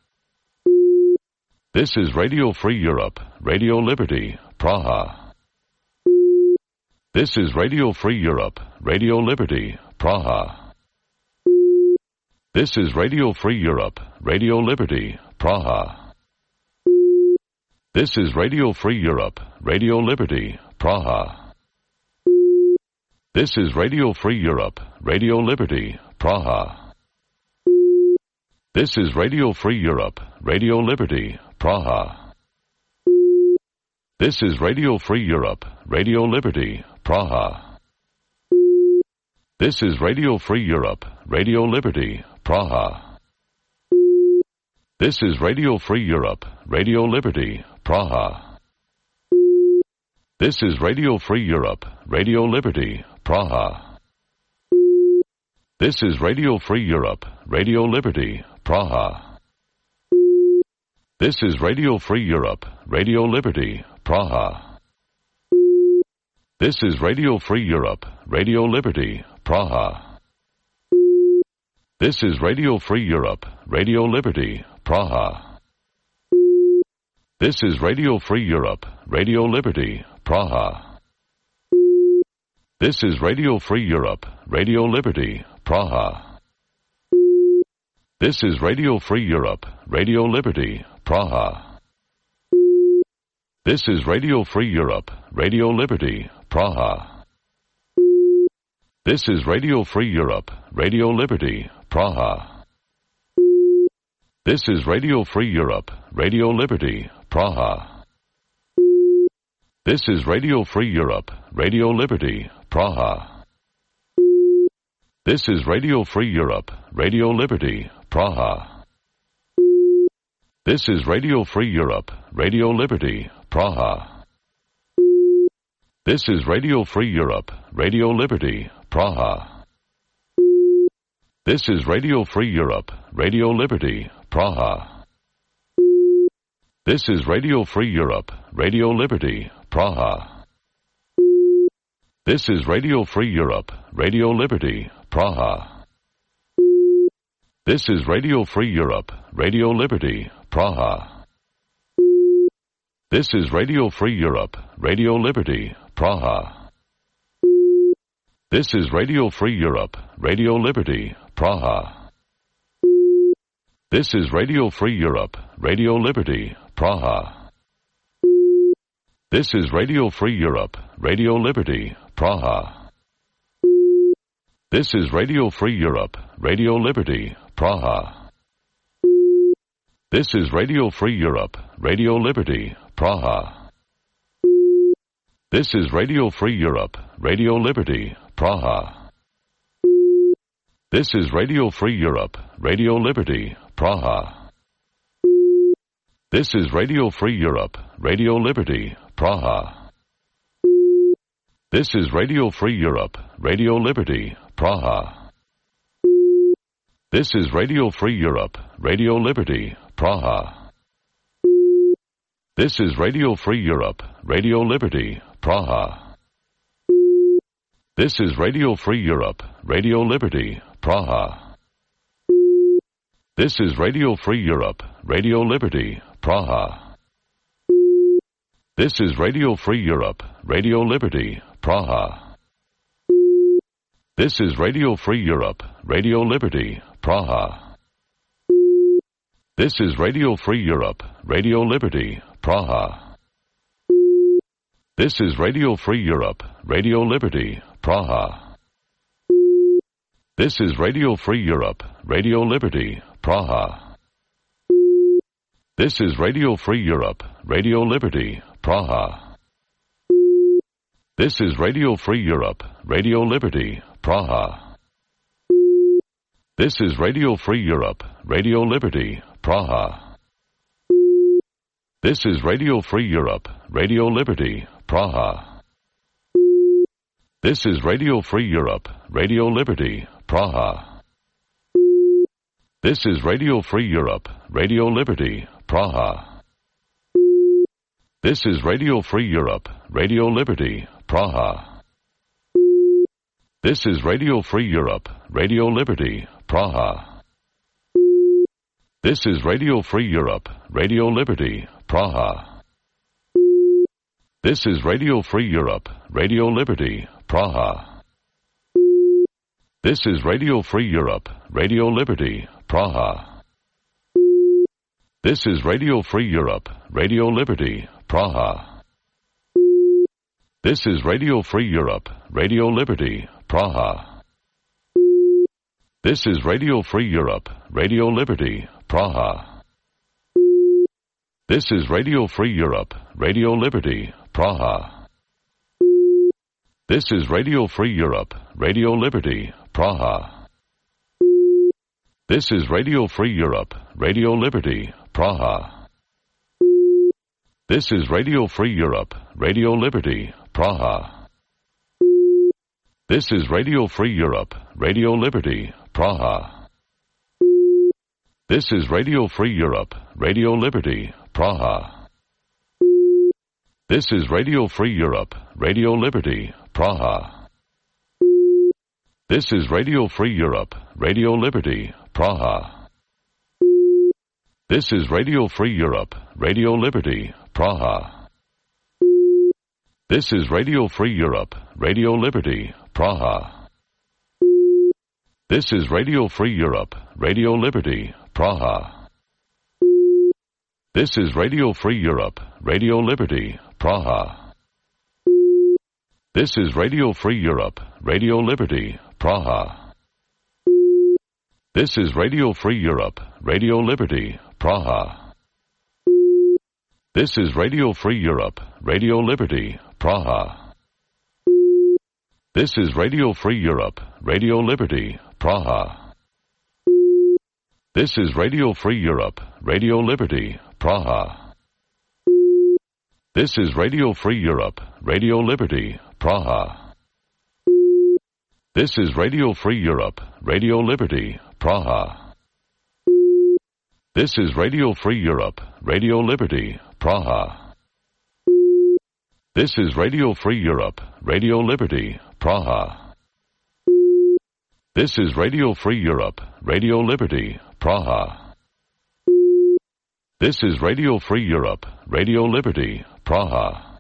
C: This is Radio Free Europe, Radio Liberty, Praha. This is Radio Free Europe, Radio Liberty, Praha. This is Radio Free Europe, Radio Liberty, Praha. This is Radio Free Europe, Radio Liberty, Praha. This is Radio Free Europe, Radio Liberty, Praha. This is Radio Free Europe, Radio Liberty, Praha. This is Radio Free Europe, Radio Liberty, Praha. This is Radio Free Europe, Radio Liberty, Praha. This is Radio Free Europe, Radio Liberty, Praha. This is Radio Free Europe, Radio Liberty, Praha. This is Radio Free Europe, Radio Liberty, Praha. This is Radio Free Europe, Radio Liberty, Praha. This is Radio Free Europe, Radio Liberty, Praha. This is Radio Free Europe, Radio Liberty, Praha. This is Radio Free Europe, Radio Liberty, Praha. This is Radio Free Europe, Radio Liberty, Praha. This is Radio Free Europe, Radio Liberty, Praha. This is Radio Free Europe, Radio Liberty, Praha. This is Radio Free Europe, Radio Liberty, Praha. This is Radio Free Europe, Radio Liberty, Praha. This is Radio Free Europe, Radio Liberty, Praha. This is Radio Free Europe, Radio Liberty, Praha. This is Radio Free Europe, Radio Liberty, Praha. This is Radio Free Europe, Radio Liberty, Praha. This is Radio Free Europe, Radio Liberty, Praha. This is Radio Free Europe, Radio Liberty, Praha. This is Radio Free Europe, Radio Liberty, Praha. This is Radio Free Europe, Radio Liberty, Praha. This is Radio Free Europe, Radio Liberty, Praha. This is Radio Free Europe, Radio Liberty, Praha. This is Radio Free Europe, Radio Liberty, Praha. This is Radio Free Europe, Radio Liberty, Praha. This is Radio Free Europe, Radio Liberty, Praha. This is Radio Free Europe, Radio Liberty, Praha. This is Radio Free Europe, Radio Liberty, Praha. This is Radio Free Europe, Radio Liberty, Praha. This is Radio Free Europe, Radio Liberty, Praha. This is Radio Free Europe, Radio Liberty, Praha. This is Radio Free Europe, Radio Liberty, Praha. This is Radio Free Europe, Radio Liberty, Praha. This is Radio Free Europe, Radio Liberty, Praha. This is Radio Free Europe, Radio Liberty, Praha. This is Radio Free Europe, Radio Liberty, Praha. This is Radio Free Europe, Radio Liberty, Praha. This is Radio Free Europe, Radio Liberty, Praha. This is Radio Free Europe, Radio Liberty, Praha. This is Radio Free Europe, Radio Liberty, Praha. This is Radio Free Europe, Radio Liberty, Praha. This is Radio Free Europe, Radio Liberty, Praha. This is Radio Free Europe, Radio Liberty, Praha. This is Radio Free Europe, Radio Liberty, Praha. This is Radio Free Europe, Radio Liberty, Praha. This is Radio Free Europe, Radio Liberty, Praha. This is Radio Free Europe, Radio Liberty, Praha. This is Radio Free Europe, Radio Liberty, Praha. This is Radio Free Europe, Radio Liberty, Praha. This is Radio Free Europe, Radio Liberty, Praha. This is Radio Free Europe, Radio Liberty, Praha. This is Radio Free Europe, Radio Liberty, Praha. This is Radio Free Europe, Radio Liberty, Praha. This is Radio Free Europe, Radio Liberty, Praha. This is Radio Free Europe, Radio Liberty, Praha. This is Radio Free Europe, Radio Liberty, Praha. This is Radio Free Europe, Radio Liberty, Praha. This is Radio Free Europe, Radio Liberty, Praha. This is Radio Free Europe, Radio Liberty, Praha. This is Radio Free Europe, Radio Liberty, Praha. This is Radio Free Europe, Radio Liberty, Praha. This is Radio Free Europe, Radio Liberty, Praha. This is Radio Free Europe, Radio Liberty, Praha. This is Radio Free Europe, Radio Liberty, Praha. This is Radio Free Europe, Radio Liberty, Praha. This is Radio Free Europe, Radio Liberty, Praha. This is Radio Free Europe, Radio Liberty, Praha. This is Radio Free Europe, Radio Liberty, Praha. This is Radio Free Europe, Radio Liberty, Praha. This is Radio Free Europe, Radio Liberty, Praha. This is Radio Free Europe, Radio Liberty, Praha. This is Radio Free Europe, Radio Liberty, Praha. This is Radio Free Europe, Radio Liberty, Praha. This is Radio Free Europe, Radio Liberty, Praha. This is Radio Free Europe, Radio Liberty, Praha. This is Radio Free Europe, Radio Liberty, Praha. This is Radio Free Europe, Radio Liberty, Praha.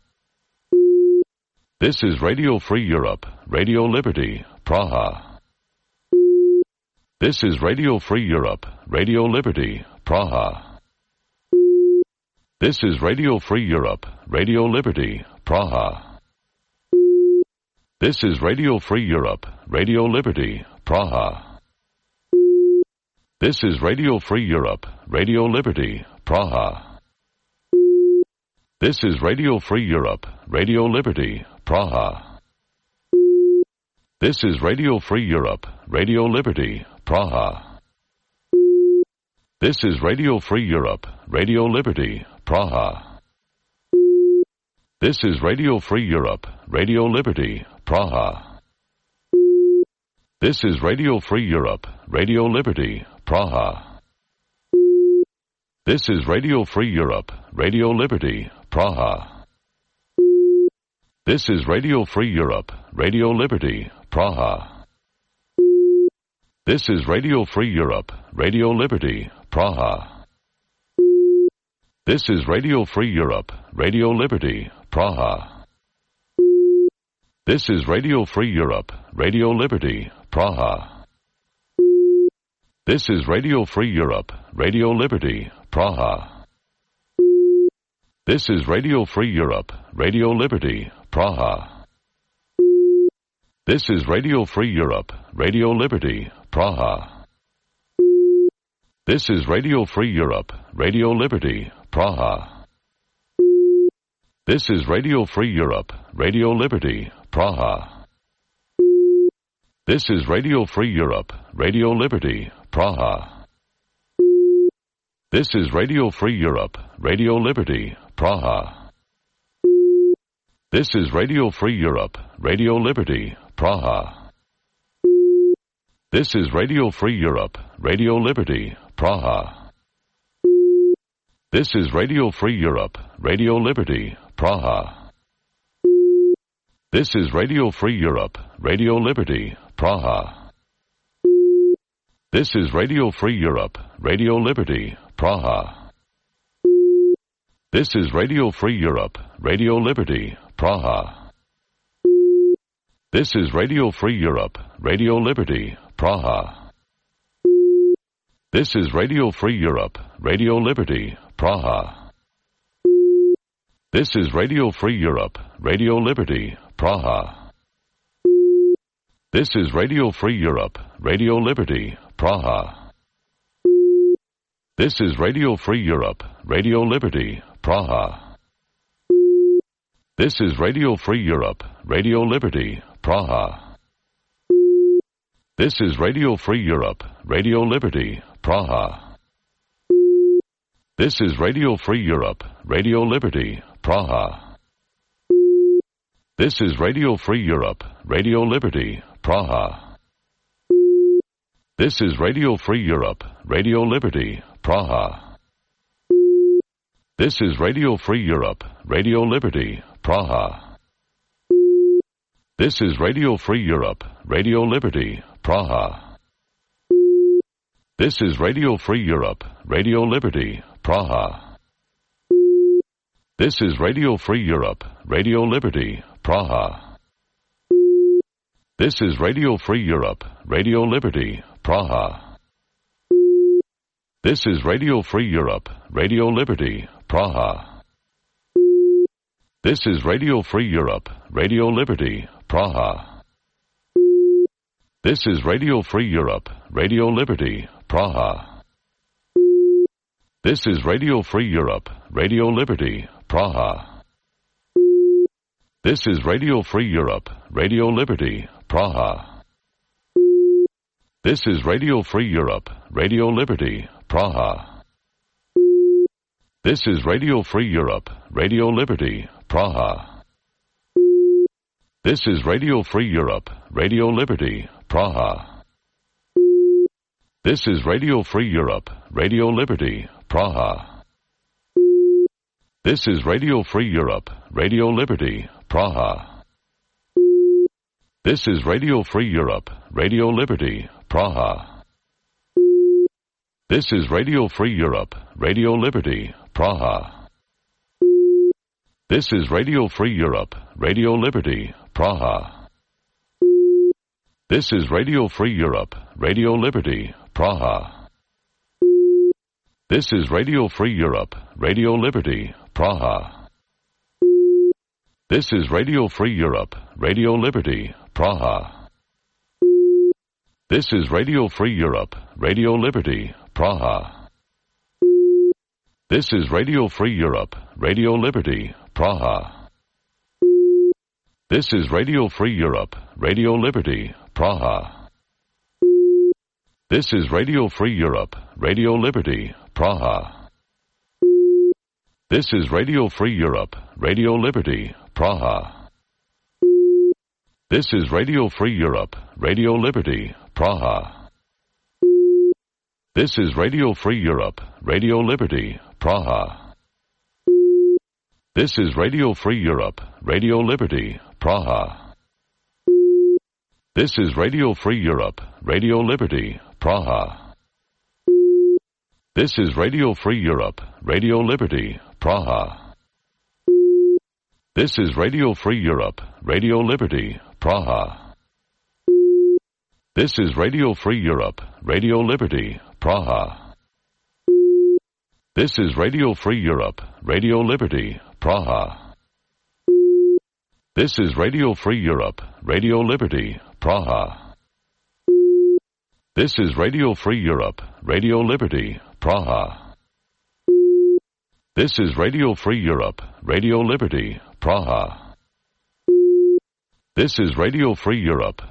C: This is Radio Free Europe, Radio Liberty, Praha. This is Radio Free Europe, Radio Liberty, Praha. This is Radio Free Europe, Radio Liberty, Praha. This is Radio Free Europe, Radio Liberty, Praha. This is Radio Free Europe, Radio Liberty, Praha. This is Radio Free Europe, Radio Liberty, Praha. This is Radio Free Europe, Radio Liberty, Praha. This is Radio Free Europe, Radio Liberty, Praha. This is Radio Free Europe, Radio Liberty, Praha. This is Radio Free Europe, Radio Liberty, Praha. This is Radio Free Europe, Radio Liberty, Praha. This is Radio Free Europe, Radio Liberty, Praha. This is Radio Free Europe, Radio Liberty, Praha. This is Radio Free Europe, Radio Liberty, Praha. This is Radio Free Europe, Radio Liberty, Praha. This is Radio Free Europe, Radio Liberty, Praha. This is Radio Free Europe, Radio Liberty, Praha. This is Radio Free Europe, Radio Liberty, Praha. This is Radio Free Europe, Radio Liberty, Praha. This is Radio Free Europe, Radio Liberty, Praha. This is Radio Free Europe, Radio Liberty, Praha. This is Radio Free Europe, Radio Liberty, Praha. This is Radio Free Europe, Radio Liberty, Praha. This is Radio Free Europe, Radio Liberty, Praha. This is Radio Free Europe, Radio Liberty, Praha. This is Radio Free Europe, Radio Liberty, Praha. This is Radio Free Europe, Radio Liberty, Praha. This is Radio Free Europe, Radio Liberty, Praha. This is Radio Free Europe, Radio Liberty, Praha. This is Radio Free Europe, Radio Liberty, Praha. This is Radio Free Europe, Radio Liberty, Praha. This is Radio Free Europe, Radio Liberty, Praha. This is Radio Free Europe, Radio Liberty, Praha. This is Radio Free Europe, Radio Liberty, Praha. This is Radio Free Europe, Radio Liberty, Praha. This is Radio Free Europe, Radio Liberty, Praha. This is Radio Free Europe, Radio Liberty, Praha. This is Radio Free Europe, Radio Liberty, Praha. This is Radio Free Europe, Radio Liberty, Praha. This is Radio Free Europe, Radio Liberty, Praha. This is Radio Free Europe, Radio Liberty, Praha. This is Radio Free Europe, Radio Liberty, Praha. This is Radio Free Europe, Radio Liberty, Praha. This is Radio Free Europe, Radio Liberty, Praha. This is Radio Free Europe, Radio Liberty, Praha. This is Radio Free Europe, Radio Liberty, Praha. This is Radio Free Europe, Radio Liberty, Praha. This is Radio Free Europe, Radio Liberty, Praha. This is Radio Free Europe, Radio Liberty, Praha. This is Radio Free Europe, Radio Liberty, Praha. This is Radio Free Europe, Radio Liberty, Praha. This is Radio Free Europe, Radio Liberty, Praha. This is Radio Free Europe, Radio Liberty, Praha. This is Radio Free Europe, Radio Liberty, Praha. This is Radio Free Europe, Radio Liberty, Praha. This is Radio Free Europe, Radio Liberty, Praha. This is Radio Free Europe, Radio Liberty, Praha. This is Radio Free Europe, Radio Liberty, Praha. This is Radio Free Europe, Radio Liberty, Praha. This is Radio Free Europe, Radio Liberty, Praha. This is Radio Free Europe, Radio Liberty, Praha. This is Radio Free Europe, Radio Liberty, Praha. This is Radio Free Europe, Radio Liberty, Praha. This is Radio Free Europe, Radio Liberty, Praha. This is Radio Free Europe, Radio Liberty, Praha. This is Radio Free Europe, Radio Liberty, Praha. This is Radio Free Europe, Radio Liberty, Praha. This is Radio Free Europe, Radio Liberty, Praha. This is Radio Free Europe, Radio Liberty, Praha. This is Radio Free Europe, Radio Liberty, Praha. This is Radio Free Europe, Radio Liberty, Praha. This is Radio Free Europe, Radio Liberty, Praha. This is Radio Free Europe, Radio Liberty, Praha. This is Radio Free Europe, Radio Liberty, Praha. This is Radio Free Europe, Radio Liberty, Praha. This is Radio Free Europe,